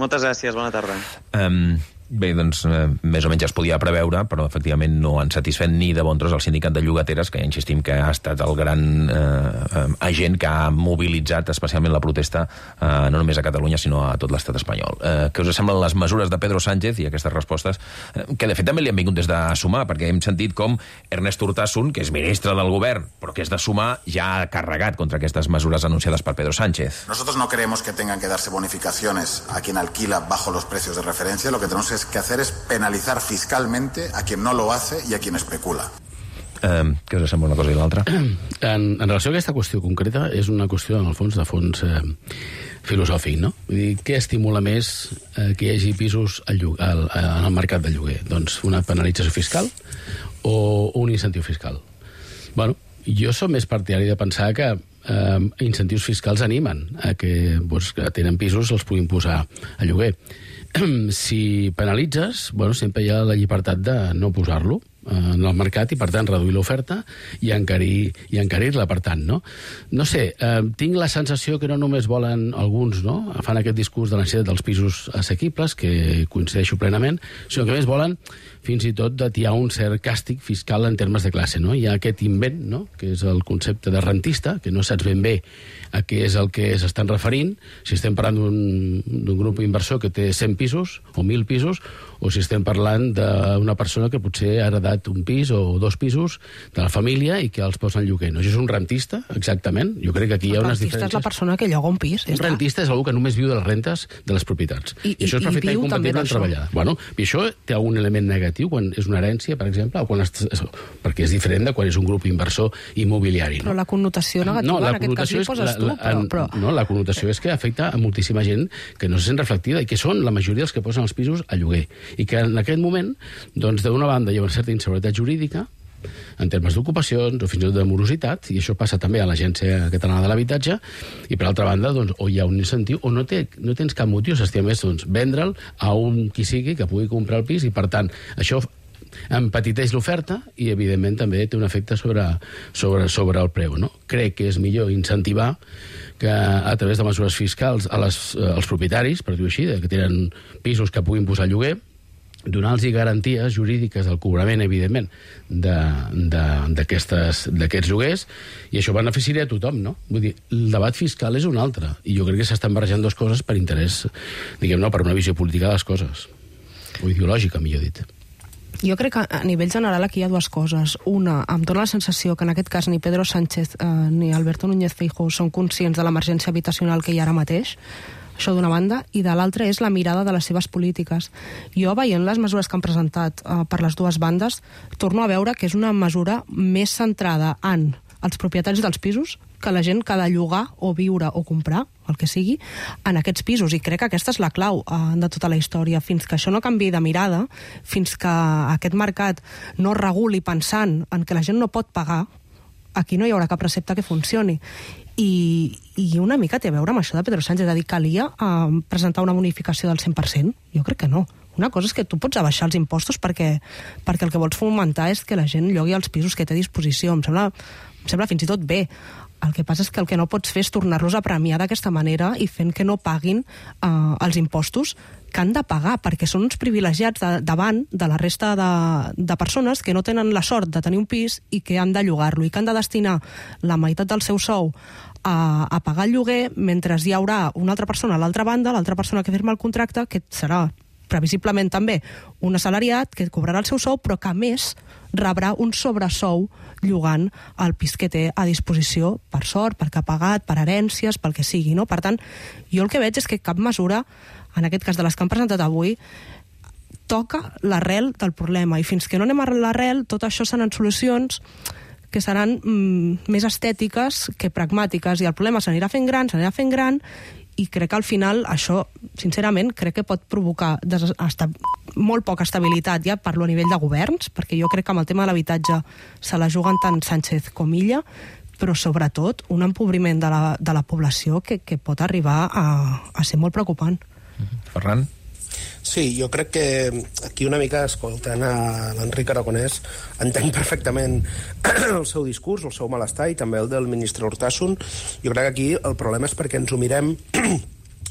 Moltes gràcies, bona tarda. Um, bé, doncs, eh, més o menys es podia preveure, però efectivament no han satisfet ni de bon tros el Sindicat de Llogateres, que ja insistim que ha estat el gran eh, agent que ha mobilitzat especialment la protesta eh, no només a Catalunya, sinó a tot l'estat espanyol. Eh, què us semblen les mesures de Pedro Sánchez i aquestes respostes, eh, que de fet també li han vingut des de Sumar, perquè hem sentit com Ernest Urtasun, que és ministre del govern, però que és de Sumar, ja ha carregat contra aquestes mesures anunciades per Pedro Sánchez. Nosotros no creemos que tengan que darse bonificaciones a quien alquila bajo los precios de referencia. Lo que tenemos que hacer es penalizar fiscalmente a quien no lo hace y a quien especula. Eh, què us sembla una cosa i l'altra? En, en relació a aquesta qüestió concreta, és una qüestió, en el fons, de fons eh, filosòfic, no? Vull dir, què estimula més eh, que hi hagi pisos al, al, al mercat de lloguer? Doncs una penalització fiscal o un incentiu fiscal? Bueno, jo som més partidari de pensar que eh, incentius fiscals animen a que, doncs, que tenen pisos els puguin posar a lloguer. Si penalitzes, bueno, sempre hi ha la llibertat de no posar-lo en el mercat i, per tant, reduir l'oferta i encarir, i encarir-la, per tant, no? No sé, eh, tinc la sensació que no només volen alguns, no?, fan aquest discurs de la necessitat dels pisos assequibles, que coincideixo plenament, sinó que més volen fins i tot d'atiar un cert càstig fiscal en termes de classe, no? Hi ha aquest invent, no?, que és el concepte de rentista, que no saps ben bé a què és el que s'estan referint, si estem parlant d'un grup inversor que té cent pisos o mil pisos, o si estem parlant d'una persona que potser ha heredat un pis o dos pisos de la família i que els posa en lloguer. No? Això és un rentista, exactament. Jo crec que aquí hi ha unes diferències. Un rentista és la persona que lloga un pis. Un rentista és algú que només viu de les rentes de les propietats. I, I això és perfectament compatible amb treballar. Bueno, i això té algun element negatiu quan és una herència, per exemple, o quan es, perquè és diferent de quan és un grup inversor immobiliari. No? Però la connotació negativa, no, la en aquest cas, li poses la, tu. La, però, però... No, la connotació és que afecta a moltíssima gent que no se sent reflectida i que són la majoria dels que posen els pisos a lloguer. I que en aquest moment, doncs, d'una banda hi ha una certa inseguretat jurídica en termes d'ocupacions o fins i tot de morositat, i això passa també a l'Agència Catalana de l'Habitatge, i per altra banda, doncs, o hi ha un incentiu o no, té, no tens cap motiu, s'estima més, doncs, vendre'l a un qui sigui que pugui comprar el pis, i per tant, això empetiteix l'oferta i, evidentment, també té un efecte sobre, sobre, sobre el preu. No? Crec que és millor incentivar que a través de mesures fiscals a les, als propietaris, per dir-ho així, que tenen pisos que puguin posar a lloguer, donar-los garanties jurídiques del cobrament, evidentment, d'aquests lloguers, i això beneficiaria a tothom, no? Vull dir, el debat fiscal és un altre, i jo crec que s'estan barrejant dues coses per interès, diguem-ne, per una visió política de les coses, o ideològica, millor dit. Jo crec que a nivell general aquí hi ha dues coses. Una, em dóna la sensació que en aquest cas ni Pedro Sánchez eh, ni Alberto Núñez Feijóo són conscients de l'emergència habitacional que hi ha ara mateix, això d'una banda, i de l'altra és la mirada de les seves polítiques. Jo, veient les mesures que han presentat eh, per les dues bandes, torno a veure que és una mesura més centrada en els propietaris dels pisos que la gent que ha de llogar o viure o comprar, el que sigui, en aquests pisos. I crec que aquesta és la clau eh, de tota la història. Fins que això no canviï de mirada, fins que aquest mercat no reguli pensant en que la gent no pot pagar, aquí no hi haurà cap recepta que funcioni. I, i una mica té a veure amb això de Pedro Sánchez, és a dir, calia eh, presentar una bonificació del cent per cent? Jo crec que no. Una cosa és que tu pots abaixar els impostos perquè, perquè el que vols fomentar és que la gent llogui els pisos que té a disposició. Em sembla, em sembla fins i tot bé. El que passa és que el que no pots fer és tornar-los a premiar d'aquesta manera i fent que no paguin eh, els impostos que han de pagar, perquè són uns privilegiats de, davant de la resta de, de persones que no tenen la sort de tenir un pis i que han de llogar-lo i que han de destinar la meitat del seu sou a, a pagar el lloguer, mentre hi haurà una altra persona a l'altra banda, l'altra persona que firma el contracte, que serà previsiblement també un assalariat que cobrarà el seu sou, però que a més rebrà un sobresou llogant el pis que té a disposició, per sort, perquè ha pagat, per herències, pel que sigui, no? Per tant, jo el que veig és que cap mesura, en aquest cas de les que han presentat avui, toca l'arrel del problema, i fins que no anem a l'arrel, tot això seran solucions que seran mm, més estètiques que pragmàtiques, i el problema s'anirà fent gran, s'anirà fent gran, i crec que al final això, sincerament, crec que pot provocar des- esta- molt poca estabilitat, ja parlo a nivell de governs, perquè jo crec que amb el tema de l'habitatge se la juguen tant Sánchez com Illa, però sobretot un empobriment de la, de la població que, que pot arribar a, a ser molt preocupant. Ferran? Sí, jo crec que aquí una mica, escoltant a l'Enric Aragonès, entenc perfectament el seu discurs, el seu malestar, i també el del ministre Urtasun. Jo crec que aquí el problema és perquè ens ho mirem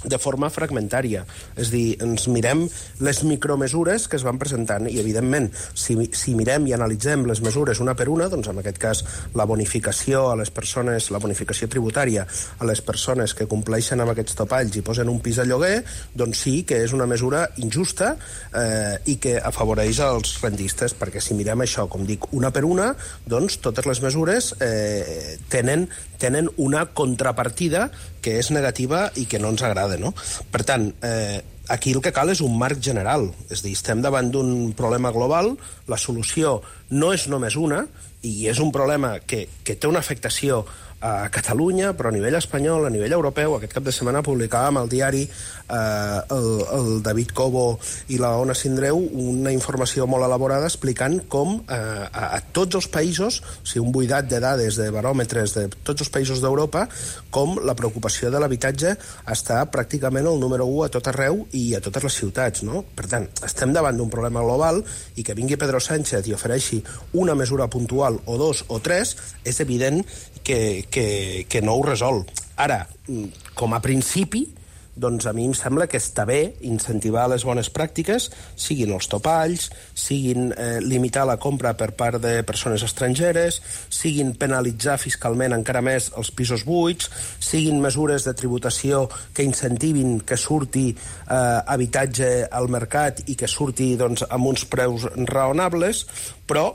de forma fragmentària. És dir, ens mirem les micromesures que es van presentant i, evidentment, si, si mirem i analitzem les mesures una per una, doncs en aquest cas la bonificació a les persones, la bonificació tributària a les persones que compleixen amb aquests topalls i posen un pis a lloguer, doncs sí que és una mesura injusta eh, i que afavoreix els rendistes, perquè si mirem això, com dic, una per una, doncs totes les mesures eh, tenen, tenen una contrapartida que és negativa i que no ens agrada, no? Per tant, eh, aquí el que cal és un marc general. És a dir, estem davant d'un problema global, la solució no és només una, i és un problema que, que té una afectació a Catalunya, però a nivell espanyol, a nivell europeu. Aquest cap de setmana publicàvem al diari eh, el, el David Cobo i la Ona Sindreu una informació molt elaborada explicant com eh, a, a tots els països, o sigui, un buidat de dades, de baròmetres de tots els països d'Europa, com la preocupació de l'habitatge està pràcticament el número u a tot arreu i a totes les ciutats, no? Per tant, estem davant d'un problema global, i que vingui Pedro Sánchez i ofereixi una mesura puntual o dos o tres, és evident que, que, que no ho resol. Ara, com a principi, doncs a mi em sembla que està bé incentivar les bones pràctiques, siguin els topalls, siguin eh, limitar la compra per part de persones estrangeres, siguin penalitzar fiscalment encara més els pisos buits, siguin mesures de tributació que incentivin que surti eh, habitatge al mercat i que surti doncs, amb uns preus raonables, però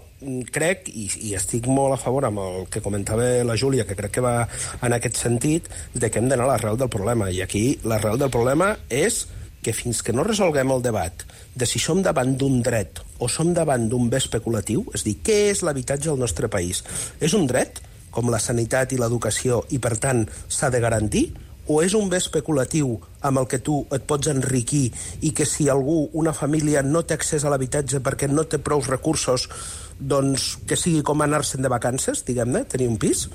crec, i, i estic molt a favor amb el que comentava la Júlia, que crec que va en aquest sentit, de que hem d'anar a l'arrel del problema. I aquí l'arrel del problema és que fins que no resolguem el debat de si som davant d'un dret o som davant d'un bé especulatiu, és a dir, què és l'habitatge al nostre país? És un dret, com la sanitat i l'educació, i per tant s'ha de garantir? O és un bé especulatiu amb el que tu et pots enriquir i que si algú, una família, no té accés a l'habitatge perquè no té prous recursos, doncs que sigui com anar-se'n de vacances, diguem-ne, tenir un pis,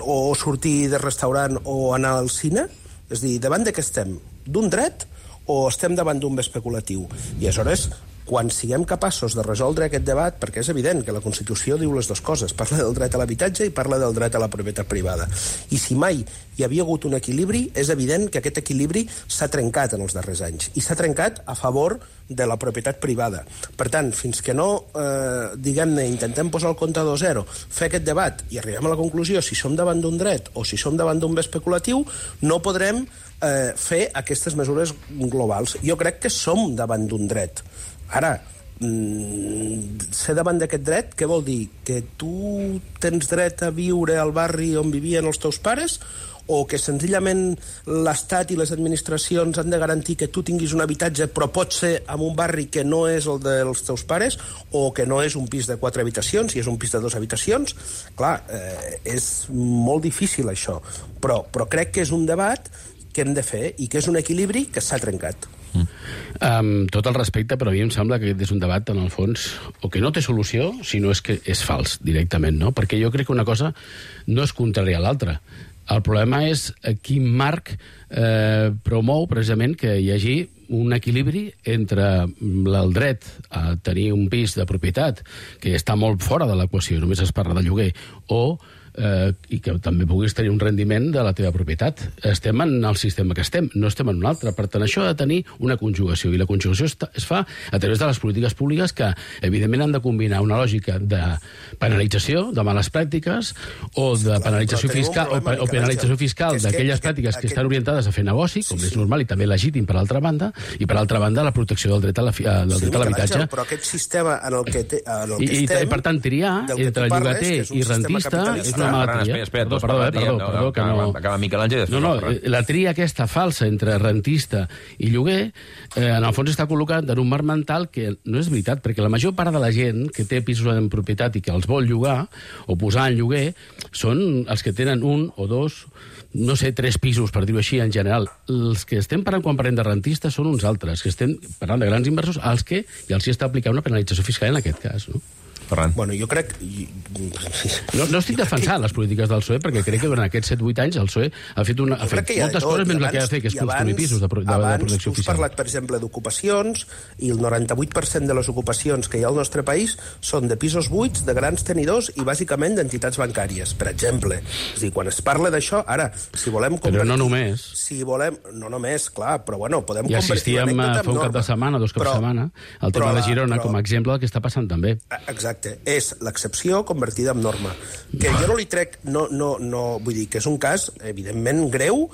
o sortir de restaurant o anar al cine? És a dir, davant de què estem? D'un dret o estem davant d'un bé especulatiu? I aleshores, quan siguem capaços de resoldre aquest debat, perquè és evident que la Constitució diu les dues coses, parla del dret a l'habitatge i parla del dret a la propietat privada. I si mai hi havia hagut un equilibri, és evident que aquest equilibri s'ha trencat en els darrers anys, i s'ha trencat a favor de la propietat privada. Per tant, fins que no, eh, diguem-ne, intentem posar el comptador a zero, fer aquest debat i arribem a la conclusió si som davant d'un dret o si som davant d'un bé especulatiu, no podrem eh, fer aquestes mesures globals. Jo crec que som davant d'un dret. Ara, mm, ser davant d'aquest dret, què vol dir? Que tu tens dret a viure al barri on vivien els teus pares, o que senzillament l'Estat i les administracions han de garantir que tu tinguis un habitatge, però pot ser en un barri que no és el dels teus pares, o que no és un pis de quatre habitacions, i és un pis de dues habitacions? Clar, eh, és molt difícil això, però, però crec que és un debat que hem de fer i que és un equilibri que s'ha trencat. Mm. Um, tot el respecte, però a mi em sembla que aquest és un debat, en el fons, o que no té solució, sinó és que és fals, directament, no? Perquè jo crec que una cosa no és contrària a l'altra. El problema és quin marc eh, promou, precisament, que hi hagi un equilibri entre el dret a tenir un pis de propietat que està molt fora de l'equació, només es parla de lloguer, o eh, i que també puguis tenir un rendiment de la teva propietat. Estem en el sistema que estem, no estem en un altre. Per tant, això ha de tenir una conjugació, i la conjugació es, es fa a través de les polítiques públiques que, evidentment, han de combinar una lògica de penalització de males pràctiques o de sí, penalització fiscal o, o penalització fiscal d'aquelles pràctiques que, que estan orientades a fer negoci, com sí, és normal i també legítim per l'altra banda, i per altra banda la protecció del dret a l'habitatge. Sí, però aquest sistema en el que, te, en el que I, estem... I, per tant, triar entre llogater i rentista és una mala tria. Espera, perdó, perdó, perdó, no, perdó, que no... Acaba Miquel Àngel. No, no, la tria aquesta falsa entre rentista i lloguer, eh, en el fons està col·locat en un marc mental que no és veritat, perquè la major part de la gent que té pisos en propietat i que els vol llogar o posar en lloguer són els que tenen un o dos, no sé, tres pisos, per dir-ho així, en general. Els que estem parlant quan parlem de rentistes són uns altres, que estem parlant de grans inversors, als que ja els hi està aplicant una penalització fiscal en aquest cas, no? Ferran. Bueno, jo crec... No, no estic defensant les polítiques del P S O E, perquè crec que durant aquests set vuit anys el P S O E ha fet, una, ha fet moltes coses menys la que ha de fer, que és construir pisos de, de, de protecció oficial. Abans tu has parlat, per exemple, d'ocupacions, i el noranta-vuit per cent de les ocupacions que hi ha al nostre país són de pisos buits, de grans tenidors i, bàsicament, d'entitats bancàries, per exemple. És a dir, quan es parla d'això, ara, si volem convertir... Però no només. Si volem... No només, clar, però, bueno, podem I convertir assistíem una fa un cap de setmana, dos caps de setmana, al tema de Girona, com a exemple del que està passant també. Exacte. És l'excepció convertida en norma. Que jo no li trec... No, no, no, vull dir que és un cas, evidentment, greu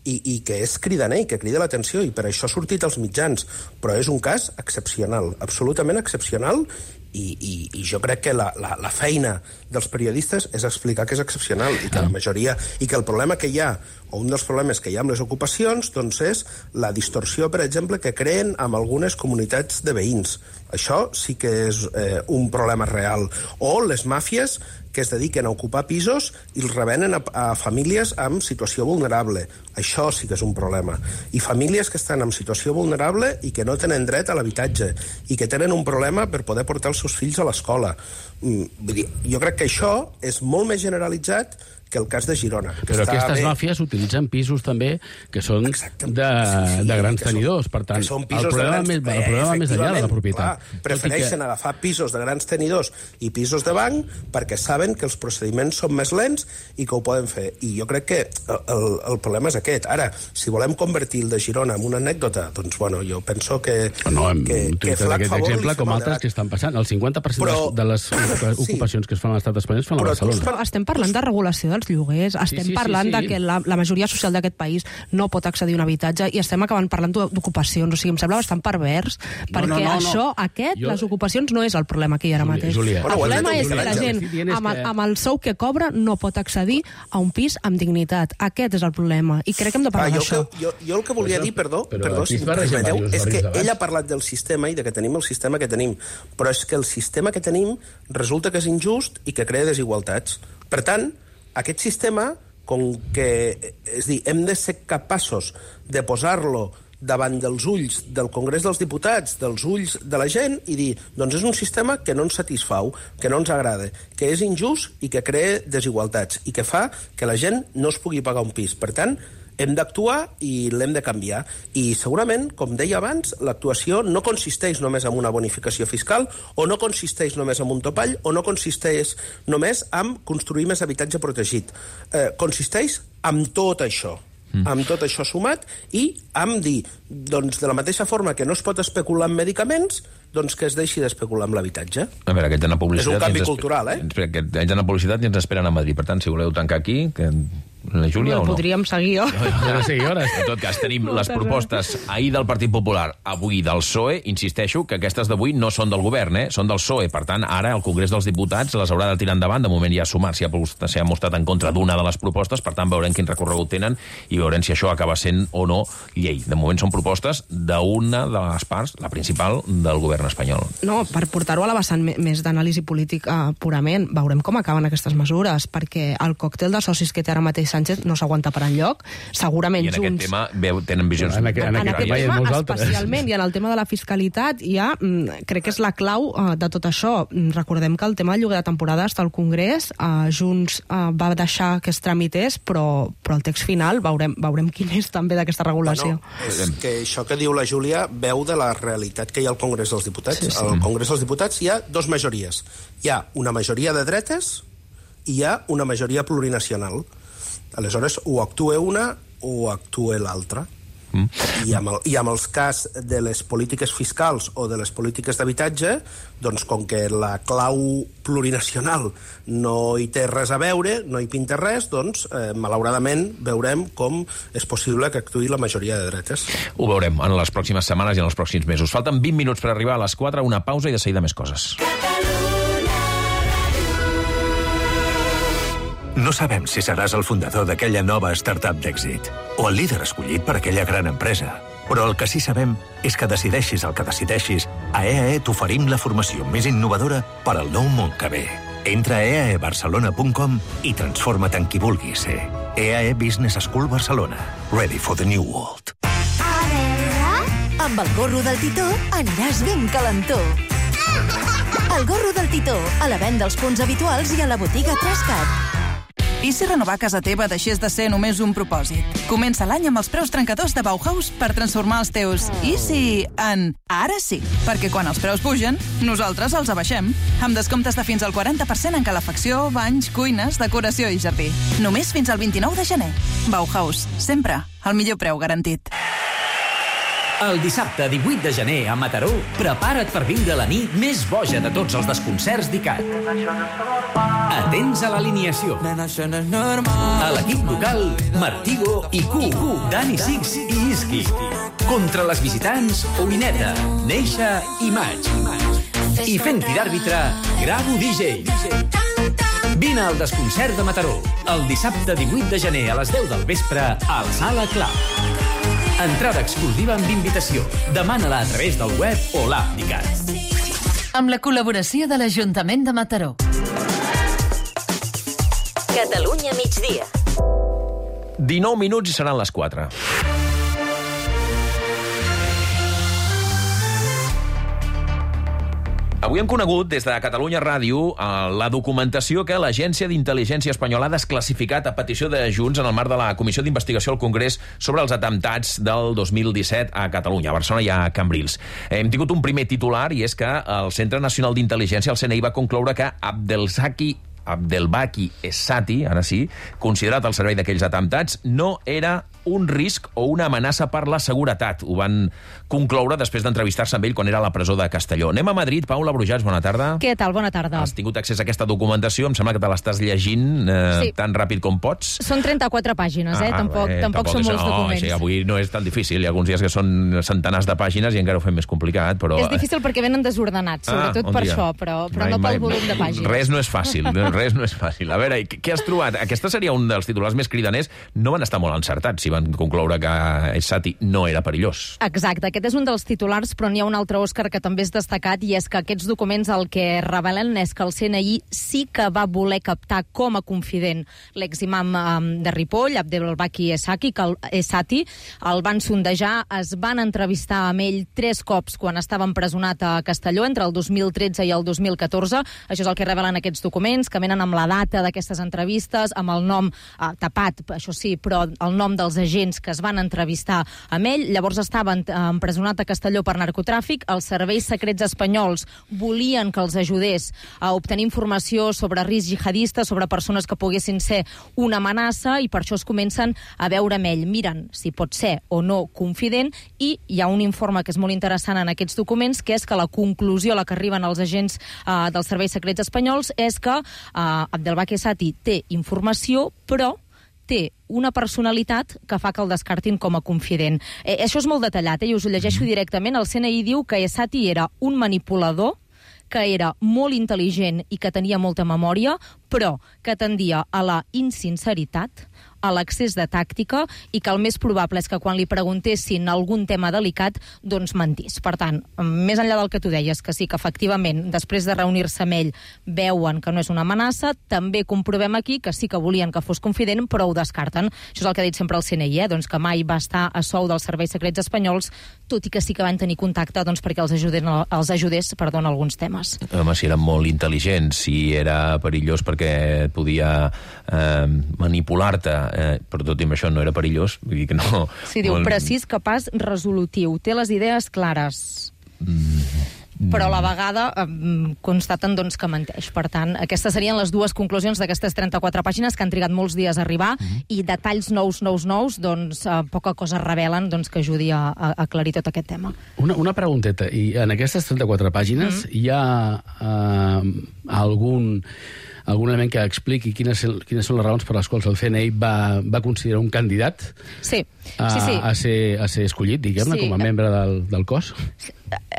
i, i que és cridaner i que crida l'atenció, i per això ha sortit als mitjans. Però és un cas excepcional, absolutament excepcional, i, i, i jo crec que la, la, la feina dels periodistes és explicar que és excepcional i que la majoria... I que el problema que hi ha, o un dels problemes que hi ha amb les ocupacions, doncs és la distorsió, per exemple, que creen amb algunes comunitats de veïns. Això sí que és eh, un problema real. O les màfies que es dediquen a ocupar pisos i els revenen a, a famílies amb situació vulnerable. Això sí que és un problema. I famílies que estan en situació vulnerable i que no tenen dret a l'habitatge i que tenen un problema per poder portar els seus fills a l'escola. Mm, vull dir, jo crec que això és molt més generalitzat que el cas de Girona. Però aquestes bé... màfies utilitzen pisos també que són de, sí, de grans són, tenidors. Per tant, el problema, grans... més, el problema més enllà de la propietat. Clar, prefereixen que... agafar pisos de grans tenidors i pisos de banc perquè saben que els procediments són més lents i que ho poden fer. I jo crec que el, el problema és aquest. Ara, si volem convertir el de Girona en una anècdota, doncs, bueno, jo penso que... No, hem que, utilitzat aquest exemple com altres que estan passant. El cinquanta per cent però... de les ocupacions sí. que es fan a l'estat espanyol es fan a Barcelona. Però estem parlant de regulació dels lloguers, estem sí, sí, parlant sí, sí. de que la, la majoria social d'aquest país no pot accedir a un habitatge i estem acabant parlant d'ocupacions. O sigui, em sembla bastant pervers, no, perquè no, no, això, no. aquest, jo... les ocupacions no és el problema que hi ha ara mateix. Julia, el problema és que la gent, amb el, amb el sou que cobra, no pot accedir a un pis amb dignitat. Aquest és el problema. I crec que hem de parlar d'això. Jo, jo el que volia dir, perdó, perdó si em permeteu, és que ella ha parlat del sistema i de que tenim el sistema que tenim. Però és que el sistema que tenim resulta que és injust i que crea desigualtats. Per tant, aquest sistema, com que, és dir, hem de ser capaços de posar-lo davant dels ulls del Congrés dels Diputats, dels ulls de la gent, i dir, doncs és un sistema que no ens satisfau, que no ens agrada, que és injust i que crea desigualtats, i que fa que la gent no es pugui pagar un pis. Per tant, hem d'actuar i l'hem de canviar. I segurament, com deia abans, l'actuació no consisteix només en una bonificació fiscal, o no consisteix només en un topall, o no consisteix només en construir més habitatge protegit. Eh, consisteix en tot això. Mm. amb tot això sumat, i amb dir, doncs, de la mateixa forma que no es pot especular amb medicaments, doncs que es deixi d'especular amb l'habitatge. A veure, aquests anar publicitat... És un canvi cultural, eh? Aquests anar publicitat i ens esperen a Madrid. Per tant, si voleu tancar aquí... Que... La Júlia no, o no? Podríem seguir, oh. No, seguir hores. En tot cas, tenim les propostes ahir del Partit Popular, avui del P S O E. Insisteixo que aquestes d'avui no són del govern, eh? Són del P S O E. Per tant, ara el Congrés dels Diputats les haurà de tirar endavant. De moment ja ha sumat, s'hi ha, s'hi ha mostrat en contra d'una de les propostes. Per tant, veurem quin recorregut tenen i veurem si això acaba sent o no llei. De moment són propostes d'una de les parts, la principal, del govern espanyol. No, per portar-ho a la vessant més d'anàlisi política purament, veurem com acaben aquestes mesures, perquè el còctel de socis que té ara mateix Sánchez no s'aguanta per enlloc. Segurament I en Junts... aquest tema veu, tenen visions... En aquest, en En aquest aquest tema hi ha tema, molts altres. especialment, i en el tema de la fiscalitat, ja mm, crec que és la clau uh, de tot això. Mm, Recordem que el tema del lloguer de temporada està al Congrés, uh, Junts uh, va deixar que es tramités, però, però el text final veurem, veurem quin és també d'aquesta regulació. Bueno, és que això que diu la Júlia veu de la realitat que hi ha al Congrés dels Diputats. Sí, sí. Al Congrés dels Diputats hi ha dos majories. Hi ha una majoria de dretes i hi ha una majoria plurinacional. Aleshores, o actua una o actua l'altra. Mm. I, amb el, I amb els cas de les polítiques fiscals o de les polítiques d'habitatge, doncs com que la clau plurinacional no hi té res a veure, no hi pinta res, doncs eh, malauradament veurem com és possible que actuï la majoria de dretes. Ho veurem en les pròximes setmanes i en els pròxims mesos. Falten vint minuts per arribar a les quatre, una pausa i de seguida més coses. No sabem si seràs el fundador d'aquella nova startup d'èxit o el líder escollit per aquella gran empresa. Però el que sí sabem és que decideixis el que decideixis, a E A E t'oferim la formació més innovadora per al nou món que ve. Entra a e a e barcelona punt com i transforma't en qui vulguis ser. E A E Business School Barcelona. Ready for the new world. A veure... Amb el gorro del Titó aniràs ben calentó. El gorro del Titó, a la venda als punts habituals i a la botiga Trascat. I si renovar casa teva deixés de ser només un propòsit? Comença l'any amb els preus trencadors de Bauhaus per transformar els teus i si en ara sí. Perquè quan els preus pugen, nosaltres els abaixem. Amb descomptes de fins al quaranta per cent en calefacció, banys, cuines, decoració i jardí. Només fins al vint-i-nou de gener. Bauhaus, sempre el millor preu garantit. El dissabte divuit de gener a Mataró, prepara't per viure la nit més boja de tots els desconcerts d'I C A T. Atents a l'alineació. A l'equip local, Martigo i Q, Dani Six i Iski. Contra les visitants, Oineta, Neixa i Maig. I fent-hi d'àrbitre, Gravo D J. Vine al desconcert de Mataró, el dissabte divuit de gener a les deu del vespre al Sala Club. Entrada exclusiva amb invitació. Demana-la a través del web o l'app d'I C A T. Amb la col·laboració de l'Ajuntament de Mataró. Catalunya migdia. dinou minuts i seran les quatre. Avui hem conegut des de Catalunya Ràdio la documentació que l'Agència d'Intel·ligència Espanyola ha desclassificat a petició de Junts en el marc de la Comissió d'Investigació al Congrés sobre els atemptats del dos mil disset a Catalunya, a Barcelona i a Cambrils. Hem tingut un primer titular i és que el Centre Nacional d'Intel·ligència, el C N I, va concloure que Abdelzaki Abdelbaki Essati, ara sí, considerat el servei d'aquells atemptats, no era un risc o una amenaça per la seguretat. Ho van concloure després d'entrevistar-se amb ell quan era a la presó de Castelló. Anem a Madrid. Paula Brujats, bona tarda. Què tal? Bona tarda. Has tingut accés a aquesta documentació, em sembla que te l'estàs llegint eh, sí. tan ràpid com pots. Són trenta-quatre pàgines, eh? Ah, tampoc, bé, tampoc, tampoc són molts no, documents. Sí, avui no és tan difícil. Hi ha alguns dies que són centenars de pàgines i encara ho fem més complicat, però... És difícil perquè venen desordenats, sobretot ah, per dia. això, però, però mai, no pel mai, volum de pàgines. Res no és fàcil, res no és fàcil. A veure, què has trobat? Aquesta seria un dels titulars més cridaners. No van estar molt encertats si van concloure que Essati no era perillós. Exacte, aquest és un dels titulars, però n'hi ha un altre, Òscar, que també és destacat, i és que aquests documents el que revelen és que el C N I sí que va voler captar com a confident l'eximam um, de Ripoll, Abdelbaki Essati, que el, Essati, el van sondejar, es van entrevistar amb ell tres cops quan estava empresonat a Castelló, entre el dos mil tretze i el dos mil catorze. Això és el que revelen aquests documents, que venen amb la data d'aquestes entrevistes, amb el nom eh, tapat, això sí, però el nom dels agents que es van entrevistar amb ell. Llavors estava empresonat a Castelló per narcotràfic. Els serveis secrets espanyols volien que els ajudés a obtenir informació sobre risc jihadista, sobre persones que poguessin ser una amenaça, i per això es comencen a veure amb ell. Miren si pot ser o no confident, i hi ha un informe que és molt interessant en aquests documents, que és que la conclusió a la que arriben els agents eh, dels serveis secrets espanyols és que eh, Abdelbaki Essati té informació, però té una personalitat que fa que el descartin com a confident. Eh, això és molt detallat, eh? I us ho llegeixo directament. El C N I diu que Essati era un manipulador, que era molt intel·ligent i que tenia molta memòria, però que tendia a la insinceritat, a l'excés de tàctica i que el més probable és que quan li preguntessin algun tema delicat, doncs mentís. Per tant, més enllà del que tu deies, que sí que efectivament, després de reunir-se amb ell, veuen que no és una amenaça, també comprovem aquí que sí que volien que fos confident, però ho descarten. Això és el que ha dit sempre el C N I, eh? doncs que mai va estar a sou dels serveis secrets espanyols, tot i que sí que van tenir contacte doncs, perquè els, ajuden, els ajudés perdó, en alguns temes. Home, si eren molt intel·ligents, si era perillós perquè podia eh, manipular-te, eh, però tot i amb això no era perillós, vull dir que no... Sí, diu, molt... precís, capaç, resolutiu, té les idees clares. Mm. Però a la vegada eh, constaten doncs, que menteix. Per tant, aquestes serien les dues conclusions d'aquestes trenta-quatre pàgines que han trigat molts dies a arribar mm-hmm. i detalls nous, nous, nous, doncs eh, poca cosa revelen doncs, que ajudi a, a aclarir tot aquest tema. Una, una pregunteta. I en aquestes trenta-quatre pàgines mm-hmm. hi ha eh, algun... algun element que expliqui quines, quines són les raons per les quals el C N I va, va considerar un candidat sí. A, sí, sí. A, ser, a ser escollit, diguem-ne, sí. com a membre del, del cos?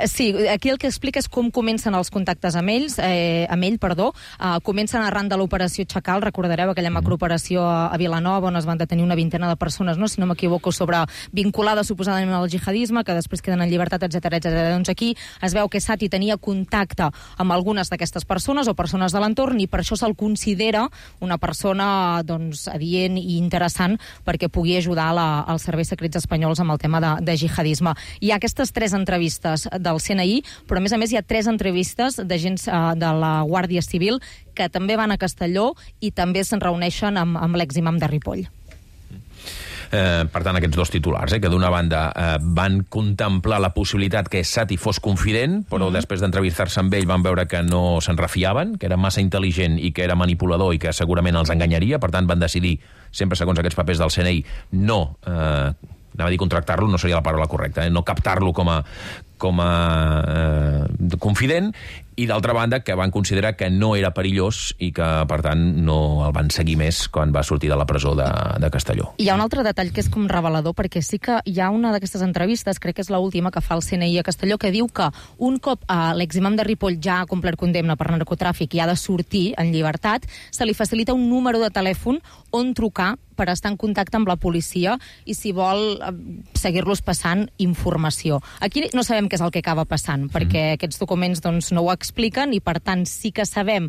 Sí, aquí el que explica és com comencen els contactes amb ells, eh, amb ell, perdó. Uh, comencen arran de l'operació Chacal, recordareu aquella macrooperació a, a Vilanova on es van detenir una vintena de persones, no? si no m'equivoco, sobre vinculades suposadament al jihadisme, que després queden en llibertat, etcètera, etcètera. Doncs aquí es veu que Sati tenia contacte amb algunes d'aquestes persones o persones de l'entorn i per això se'l considera una persona doncs, adient i interessant perquè pugui ajudar la, als serveis secrets espanyols amb el tema de, de jihadisme. Hi ha aquestes tres entrevistes del C N I, però a més a més hi ha tres entrevistes d'agents uh, de la Guàrdia Civil que també van a Castelló i també se'n reuneixen amb, amb l'eximam de Ripoll. Eh, per tant, aquests dos titulars, eh, que d'una banda eh, van contemplar la possibilitat que Sati fos confident, però mm-hmm. després d'entrevistar-se amb ell van veure que no se'n refiaven, que era massa intel·ligent i que era manipulador i que segurament els enganyaria, per tant van decidir, sempre segons aquests papers del C N I, no, eh, anava a dir contractar-lo, no seria la paraula correcta, eh, no captar-lo com a, com a eh, confident, i d'altra banda que van considerar que no era perillós i que, per tant, no el van seguir més quan va sortir de la presó de, de Castelló. Hi ha un altre detall que és com revelador, perquè sí que hi ha una d'aquestes entrevistes, crec que és l'última que fa el C N I a Castelló, que diu que un cop eh, l'eximam de Ripoll ja ha complert condemna per narcotràfic i ha de sortir en llibertat, se li facilita un número de telèfon on trucar per estar en contacte amb la policia i si vol eh, seguir-los passant informació. Aquí no sabem què és el que acaba passant, perquè mm. aquests documents doncs, no ho expliquen i, per tant, sí que sabem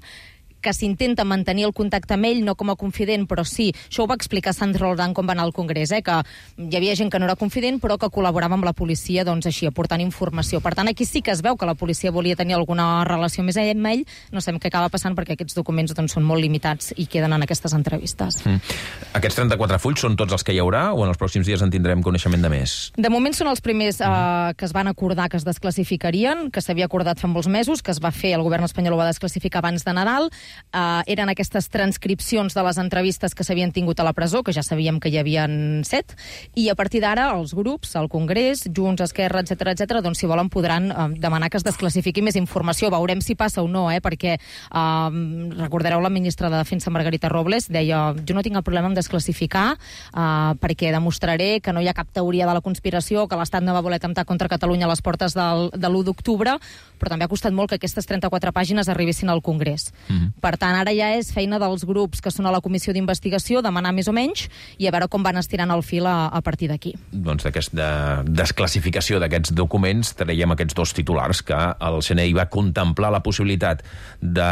que s'intenta mantenir el contacte amb ell, no com a confident, però sí, això ho va explicar Sandro Roldán quan va anar al Congrés, eh, que hi havia gent que no era confident, però que col·laborava amb la policia, doncs així, aportant informació. Per tant, aquí sí que es veu que la policia volia tenir alguna relació més amb ell, no sabem què acaba passant perquè aquests documents doncs, són molt limitats i queden en aquestes entrevistes. Mm. Aquests trenta-quatre fulls són tots els que hi haurà o en els pròxims dies en tindrem coneixement de més? De moment són els primers eh, que es van acordar que es desclassificarien, que s'havia acordat fa molts mesos, que es va fer, el govern espanyol ho va desclassificar abans de Nadal. Uh, eren aquestes transcripcions de les entrevistes que s'havien tingut a la presó, que ja sabíem que hi havien set, i a partir d'ara els grups, el Congrés, Junts, Esquerra, etcètera, etcètera, doncs si volen podran uh, demanar que es desclassifiqui més informació. Veurem si passa o no, eh? perquè uh, recordareu la ministra de Defensa, Margarita Robles, deia, jo no tinc el problema en desclassificar uh, perquè demostraré que no hi ha cap teoria de la conspiració, que l'Estat no va voler atemptar contra Catalunya a les portes del, de l'u d'octubre, però també ha costat molt que aquestes trenta-quatre pàgines arribessin al Congrés. Mm-hmm. Per tant, ara ja és feina dels grups que són a la comissió d'investigació demanar més o menys i a veure com van estirant el fil a, a partir d'aquí. Doncs d'aquesta desclassificació d'aquests documents traiem aquests dos titulars, que el C N I va contemplar la possibilitat de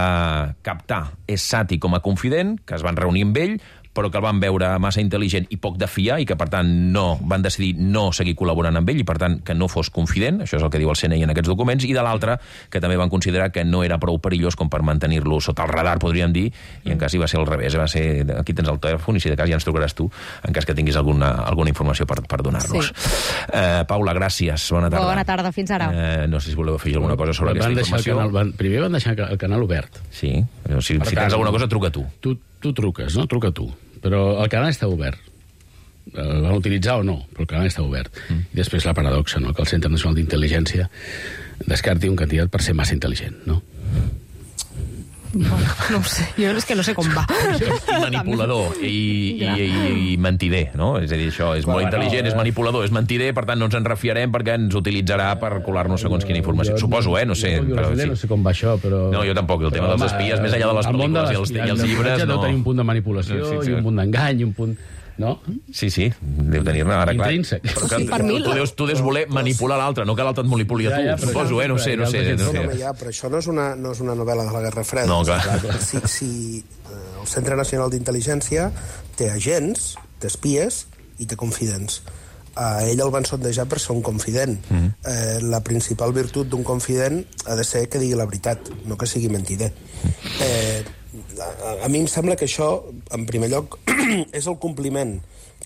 captar Sati com a confident, que es van reunir amb ell, però que el van veure massa intel·ligent i poc de fiar i que, per tant, no van decidir no seguir col·laborant amb ell i, per tant, que no fos confident, això és el que diu el C N I en aquests documents, i de l'altre, que també van considerar que no era prou perillós com per mantenir-lo sota el radar, podríem dir, i en cas hi va ser al revés, va ser, aquí tens el telèfon i si de cas ja ens trucaràs tu, en cas que tinguis alguna, alguna informació per, per donar-nos. Sí. Uh, Paula, gràcies, bona tarda. Bona tarda, fins ara. Uh, no sé si voleu afegir alguna cosa sobre van aquesta informació. Canal, van, primer van deixar el canal obert. Sí, si, si tens alguna cosa, truca tu. Tu, tu truques, no? Truca tu. Però el canal està obert. El van utilitzar o no, però el canal està obert. Mm. I després la paradoxa, no?, que el Centre Nacional d'Intel·ligència descarti un candidat per ser massa intel·ligent, no? Bueno, no ho sé, jo és que no sé com va. Manipulador i, i, i, i mentider, no? És a dir, això és molt intel·ligent, és manipulador, és mentider, per tant no ens en refiarem perquè ens utilitzarà per colar-nos segons quina informació. Suposo, eh? No sé. Jo però, sí. no sé com va això, però... No, jo tampoc, el tema dels espies, més enllà de les pel·lícules i els, i els llibres... No, té un punt de manipulació, sí, sí, sí. i un punt d'engany, i un punt... No? Sí, sí, deu tenir-ne ara clar. Intrínsec. Però que, Sí, per mi- tu, deus, tu deus voler manipular l'altre, no que l'altre et manipuli a tu, Ja, ja, però- suposo, eh? No sé, no sé. No No, sé. home, ja, però això no és una, no és una novel·la de la Guerra Freda. No, clar. Si, si eh, el Centre Nacional d'Intel·ligència té agents, té espies i té confidents. A ell el van sondejar per ser un confident. Mm. Eh, la principal virtut d'un confident ha de ser que digui la veritat, no que sigui mentider. Eh, a, a mi em sembla que això, en primer lloc, és el compliment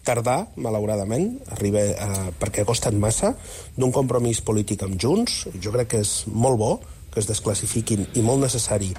tardà, malauradament, arriba a, perquè ha costat massa, d'un compromís polític amb Junts. Jo crec que és molt bo que es desclassifiquin, i molt necessari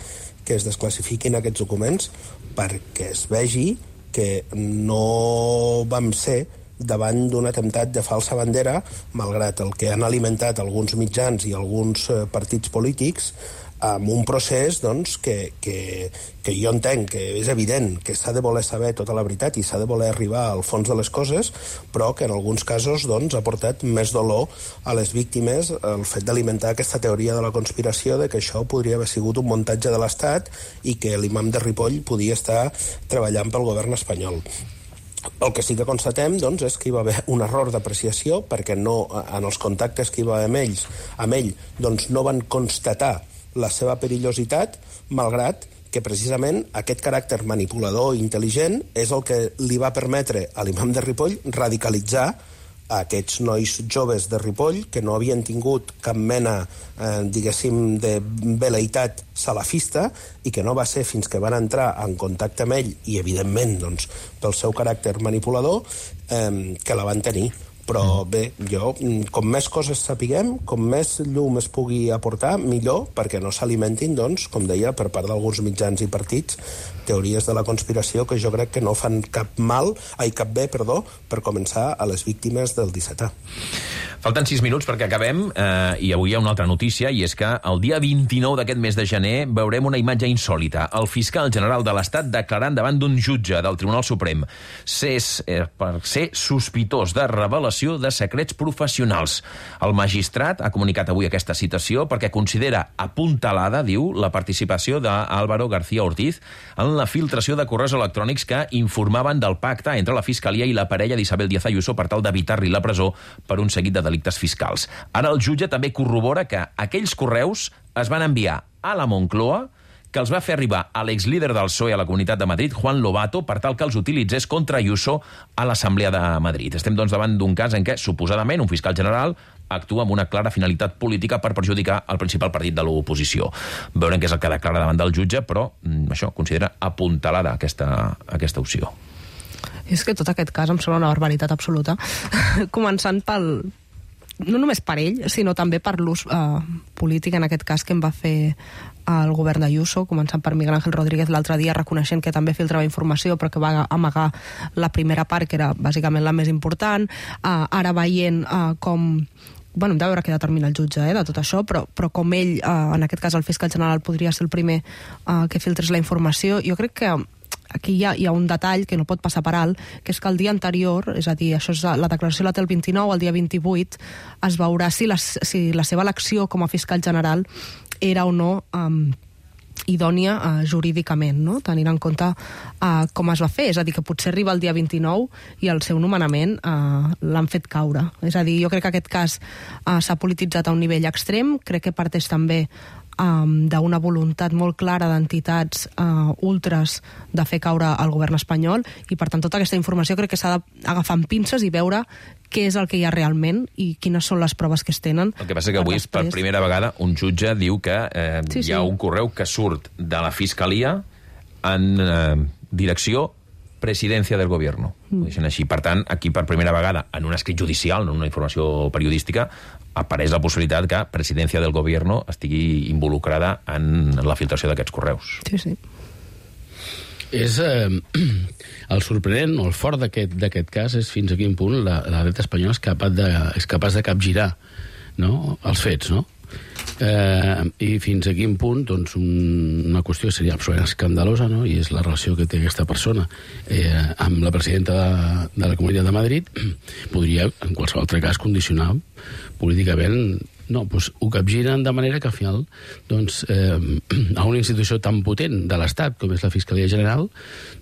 que es desclassifiquin aquests documents, perquè es vegi que no vam ser davant d'un atemptat de falsa bandera, malgrat el que han alimentat alguns mitjans i alguns eh, partits polítics, amb un procés doncs, que, que, que jo entenc que és evident que s'ha de voler saber tota la veritat i s'ha de voler arribar al fons de les coses, però que en alguns casos doncs, ha portat més dolor a les víctimes el fet d'alimentar aquesta teoria de la conspiració de que això podria haver sigut un muntatge de l'Estat i que l'imam de Ripoll podia estar treballant pel govern espanyol. El que sí que constatem doncs, és que hi va haver un error d'apreciació perquè no, en els contactes que hi va haver amb ells, amb ell doncs, no van constatar la seva perillositat, malgrat que precisament aquest caràcter manipulador i intel·ligent és el que li va permetre a l'imam de Ripoll radicalitzar a aquests nois joves de Ripoll que no havien tingut cap mena, eh, diguéssim, de veleïtat salafista i que no va ser fins que van entrar en contacte amb ell i, evidentment, doncs, pel seu caràcter manipulador, eh, que la van tenir. Però bé, jo, com més coses sapiguem, com més llum es pugui aportar, millor, perquè no s'alimentin, doncs, com deia, per part d'alguns mitjans i partits, teories de la conspiració que jo crec que no fan cap mal, ai, cap bé, perdó, per començar a les víctimes del dissetè. Falten sis minuts perquè acabem, eh, i avui hi ha una altra notícia, i és que el dia vint-i-nou d'aquest mes de gener veurem una imatge insòlita. El fiscal general de l'Estat declarant davant d'un jutge del Tribunal Suprem ser, eh, per ser sospitós de revelació de secrets professionals. El magistrat ha comunicat avui aquesta citació perquè considera apuntalada, diu, la participació d'Álvaro García Ortiz en la filtració de correus electrònics que informaven del pacte entre la Fiscalia i la parella d'Isabel Díaz Ayuso per tal d'evitar-li la presó per un seguit de delictes fiscals. Ara el jutge també corrobora que aquells correus es van enviar a la Moncloa, que els va fer arribar a l'exlíder del P S O E a la Comunitat de Madrid, Juan Lobato, per tal que els utilitzés contra Ayuso a l'Assemblea de Madrid. Estem, doncs, davant d'un cas en què, suposadament, un fiscal general actua amb una clara finalitat política per perjudicar el principal partit de l'oposició. Veurem què és el que declara davant del jutge, però mm, això considera apuntalada aquesta, aquesta opció. És que tot aquest cas em sembla una barbaritat absoluta. Començant pel... no només per ell, sinó també per l'ús eh, polític, en aquest cas, que em va fer el govern d'Ayuso, començant per Miguel Ángel Rodríguez l'altre dia, reconeixent que també filtrava informació, però que va amagar la primera part, que era bàsicament la més important. Eh, ara veient eh, com... Bueno, hem de veure què determina el jutge eh, de tot això, però, però com ell, eh, en aquest cas el fiscal general, podria ser el primer eh, que filtrés la informació, jo crec que aquí hi ha, hi ha un detall que no pot passar per alt, que és que el dia anterior, és a dir, això és la declaració la té el vint-i-nou, el dia vint-i-vuit es veurà si la, si la seva elecció com a fiscal general era o no um, idònia uh, jurídicament, no? Tenint en compte uh, com es va fer, és a dir, que potser arriba el dia vint-i-nou i el seu nomenament uh, l'han fet caure. És a dir, jo crec que aquest cas uh, s'ha polititzat a un nivell extrem, crec que parteix també Um, d'una voluntat molt clara d'entitats uh, ultres de fer caure el govern espanyol, i per tant tota aquesta informació crec que s'ha d'agafar amb pinces i veure què és el que hi ha realment i quines són les proves que es tenen. El que passa que avui, després... per primera vegada, un jutge diu que eh, sí, sí. hi ha un correu que surt de la Fiscalia en eh, direcció Presidencia del Gobierno. Mm. Així. Per tant, aquí per primera vegada, en un escrit judicial, en una informació periodística, apareix la possibilitat que Presidencia del Gobierno estigui involucrada en la filtració d'aquests correus. Sí, sí. És eh, el sorprenent o el fort d'aquest cas és fins a quin punt la, la dreta espanyola és capaç de, és capaç de capgirar, no?, els fets, no? Eh, i fins a quin punt doncs, un, una qüestió seria absolutament escandalosa, no?, i és la relació que té aquesta persona eh, amb la presidenta de, de la Comunitat de Madrid, podria en qualsevol altre cas condicionar políticament No, doncs ho capgiren de manera que al final doncs, eh, a una institució tan potent de l'Estat com és la Fiscalia General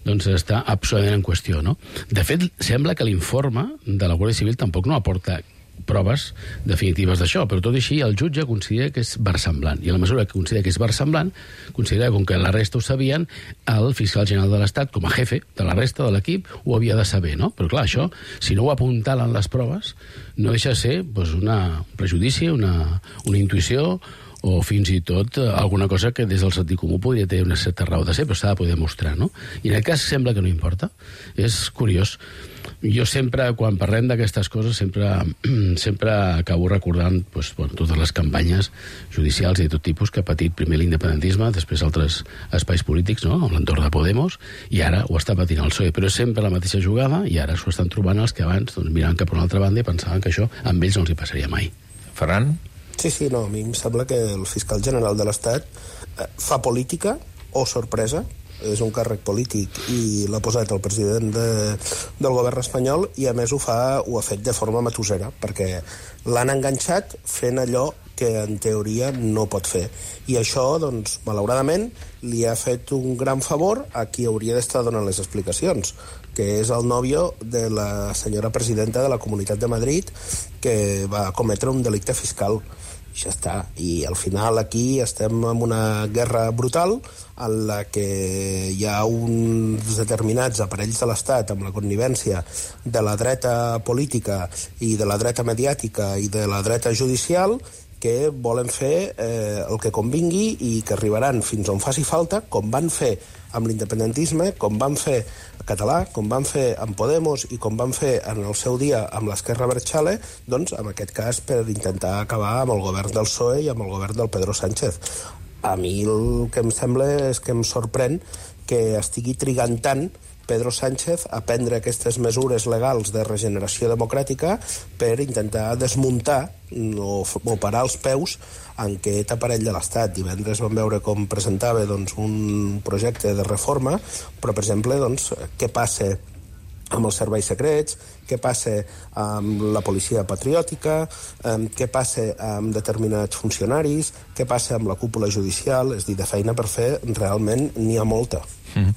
doncs està absolutament en qüestió, no? De fet, sembla que l'informe de la Guàrdia Civil tampoc no aporta proves definitives d'això, però tot i així el jutge considera que és versemblant, i a la mesura que considera que és versemblant, considera que com que la resta ho sabien, el fiscal general de l'Estat, com a jefe de la resta de l'equip, ho havia de saber, no? Però clar, això, si no ho apuntalen les proves, no deixa de ser doncs, una prejudici, una, una intuïció, o fins i tot alguna cosa que des del sentit comú podria tenir una certa raó de ser, però s'ha de poder mostrar, no? I en aquest cas sembla que no importa. És curiós. Jo sempre, quan parlem d'aquestes coses, sempre, sempre acabo recordant doncs, bueno, totes les campanyes judicials i de tot tipus que ha patit primer l'independentisme, després altres espais polítics, no?, en l'entorn de Podemos, i ara ho està patint el P S O E. Però és sempre la mateixa jugada i ara s'ho estan trobant els que abans doncs, miraven cap a una altra banda i pensaven que això amb ells no els hi passaria mai. Ferran? Sí, sí, no, a mi em sembla que el fiscal general de l'Estat eh, fa política o sorpresa, és un càrrec polític i l'ha posat el president de, del govern espanyol i a més ho fa ho ha fet de forma matossera perquè l'han enganxat fent allò que en teoria no pot fer. I això, doncs, malauradament, li ha fet un gran favor a qui hauria d'estar donant les explicacions, que és el nòvio de la senyora presidenta de la Comunitat de Madrid que va cometre un delicte fiscal. Ja està. I al final aquí estem en una guerra brutal en la que hi ha uns determinats aparells de l'Estat amb la connivència de la dreta política i de la dreta mediàtica i de la dreta judicial que volen fer eh, el que convingui i que arribaran fins on faci falta, com van fer amb l'independentisme, com van fer català, com van fer amb Podemos i com van fer en el seu dia amb l'Esquerra Abertzale, doncs en aquest cas per intentar acabar amb el govern del P S O E i amb el govern del Pedro Sánchez. A mi el que em sembla és que em sorprèn que estigui trigant tant Pedro Sánchez a prendre aquestes mesures legals de regeneració democràtica per intentar desmuntar o, o parar els peus en aquest aparell de l'Estat. Divendres vam veure com presentava doncs, un projecte de reforma, però, per exemple, doncs, què passa amb els serveis secrets, què passa amb la policia patriòtica, eh, què passa amb determinats funcionaris, què passa amb la cúpula judicial, és a dir, de feina per fer realment n'hi ha molta. Mm.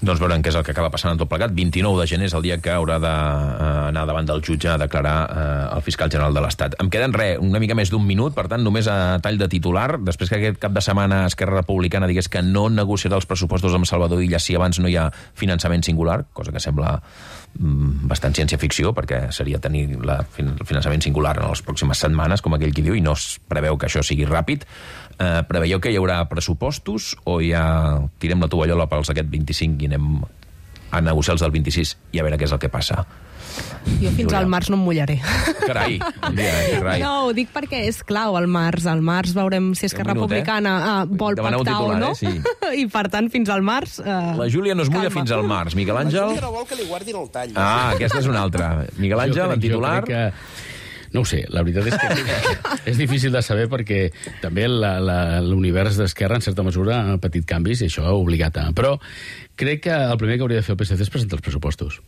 Doncs veurem què és el que acaba passant en tot plegat. vint-i-nou de gener és el dia que haurà d'anar davant del jutge a declarar eh, el fiscal general de l'Estat. Em queden res, una mica més d'un minut, per tant, només a tall de titular. Després que aquest cap de setmana Esquerra Republicana digués que no negociarà els pressupostos amb Salvador Illa si abans no hi ha finançament singular, cosa que sembla mm, bastant ciència-ficció, perquè seria tenir la, el finançament singular en les pròximes setmanes, com aquell qui diu, i no es preveu que això sigui ràpid. Eh, preveieu que hi haurà pressupostos o ja tirem la tovallola pels aquest vint-i-cinc i anem a negociar els del vint-i-sis i a veure què és el que passa? Jo fins al març no em mullaré. Carai, dia, carai. No, ho dic perquè és clau el març. Al març veurem si Esquerra minut, Republicana eh? vol Demaneu pactar titular, o no. Eh? Sí. I per tant, fins al març... Eh, la Júlia no es mulla calma. Fins al març. Miguel Àngel... La Júlia no vol que li guardin el tall. Ah, aquesta és una altra. Miguel Àngel, en titular... Que... No ho sé, la veritat és que és difícil de saber perquè també l'univers d'Esquerra en certa mesura ha patit canvis i això ha obligat a... Però crec que el primer que hauria de fer el P S C és presentar els pressupostos.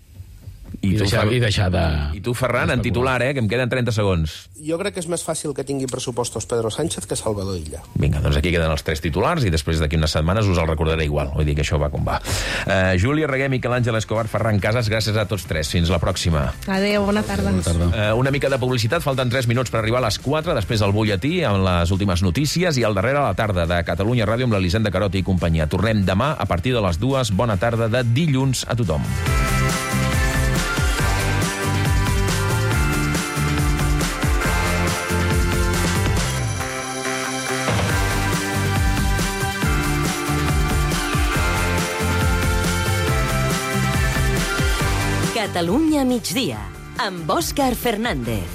I, I, deixar, i deixar de... I tu, Ferran, en titular, eh, que em queden trenta segons. Jo crec que és més fàcil que tingui pressupostos Pedro Sánchez que Salvador Illa. Vinga, doncs aquí queden els tres titulars i després d'aquí unes setmanes us el recordaré igual. Vull dir que això va com va. Uh, Júlia Reguer, Miquel Àngel Escobar, Ferran Casas, gràcies a tots tres. Fins la pròxima. Adéu, bona tarda. Bona tarda. Uh, una mica de publicitat, falten tres minuts per arribar a les quatre, després el butlletí amb les últimes notícies i al darrere a la tarda de Catalunya Ràdio amb l'Elisenda Caroti i companyia. Tornem demà a partir de les dues. Bona tarda de dilluns a tothom. Catalunya migdia, amb Òscar Fernández.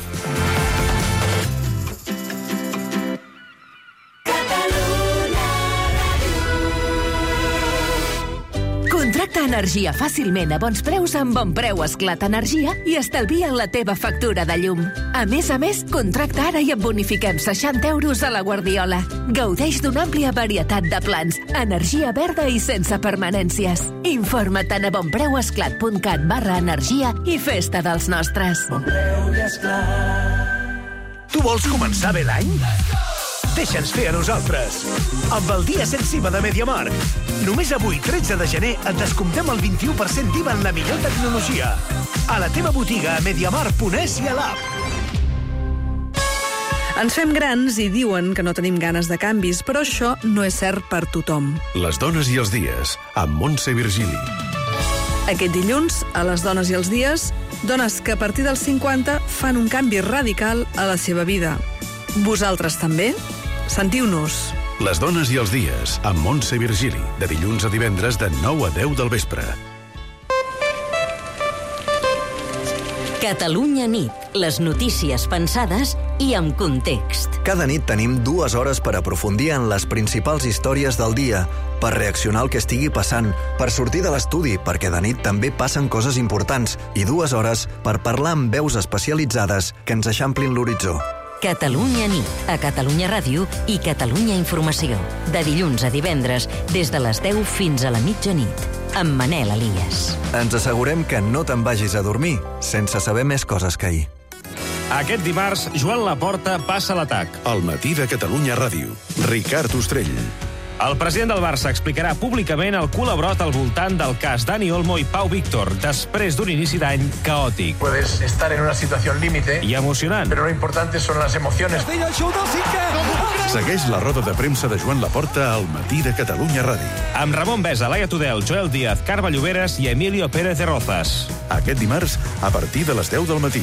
Contracta energia fàcilment a bons preus amb Bon Preu Esclat Energia i estalvia la teva factura de llum. A més a més, contracta ara i et bonifiquem seixanta euros a la Guardiola. Gaudeix d'una àmplia varietat de plans, energia verda i sense permanències. Informa't a bonpreuesclat punt cat barra energia i festa dels nostres. Bon Preu i Esclat. Tu vols començar bé l'any? Deixa'ns fer a nosaltres. Amb el dia sensiva de MediaMarkt. Només avui, tretze de gener, et descomptem el vint-i-u per cent d'I V A en la millor tecnologia. A la teva botiga, a mediamarkt punt es i a l'app. Ens fem grans i diuen que no tenim ganes de canvis, però això no és cert per tothom. Les dones i els dies, amb Montse Virgili. Aquest dilluns, a les dones i els dies, dones que a partir dels cinquanta fan un canvi radical a la seva vida. Vosaltres també? Sentiu-nos. Les dones i els dies, amb Montse Virgili, de dilluns a divendres de nou a deu del vespre. Catalunya nit, les notícies pensades i amb context. Cada nit tenim dues hores per aprofundir en les principals històries del dia, per reaccionar al que estigui passant, per sortir de l'estudi, perquè de nit també passen coses importants, i dues hores per parlar amb veus especialitzades que ens eixamplin l'horitzó. Catalunya nit, a Catalunya Ràdio i Catalunya Informació. De dilluns a divendres, des de les deu fins a la mitjanit. Amb Manel Elias. Ens assegurem que no te'n vagis a dormir sense saber més coses que ahir. Aquest dimarts, Joan Laporta passa l'atac. Al matí de Catalunya Ràdio. Ricard Ostrell. El president del Barça explicarà públicament el culebrot al voltant del cas Dani Olmo i Pau Víctor, després d'un inici d'any caòtic. Puedes estar en una situación límite i emocionant. Pero lo importante son las emociones. Segueix la roda de premsa de Joan Laporta al matí de Catalunya Ràdio. Amb Ramon Besa, Laia Tudel, Joel Díaz, Carme Lloberes i Emilio Pérez de Rozas. Aquest dimarts, a partir de les deu del matí.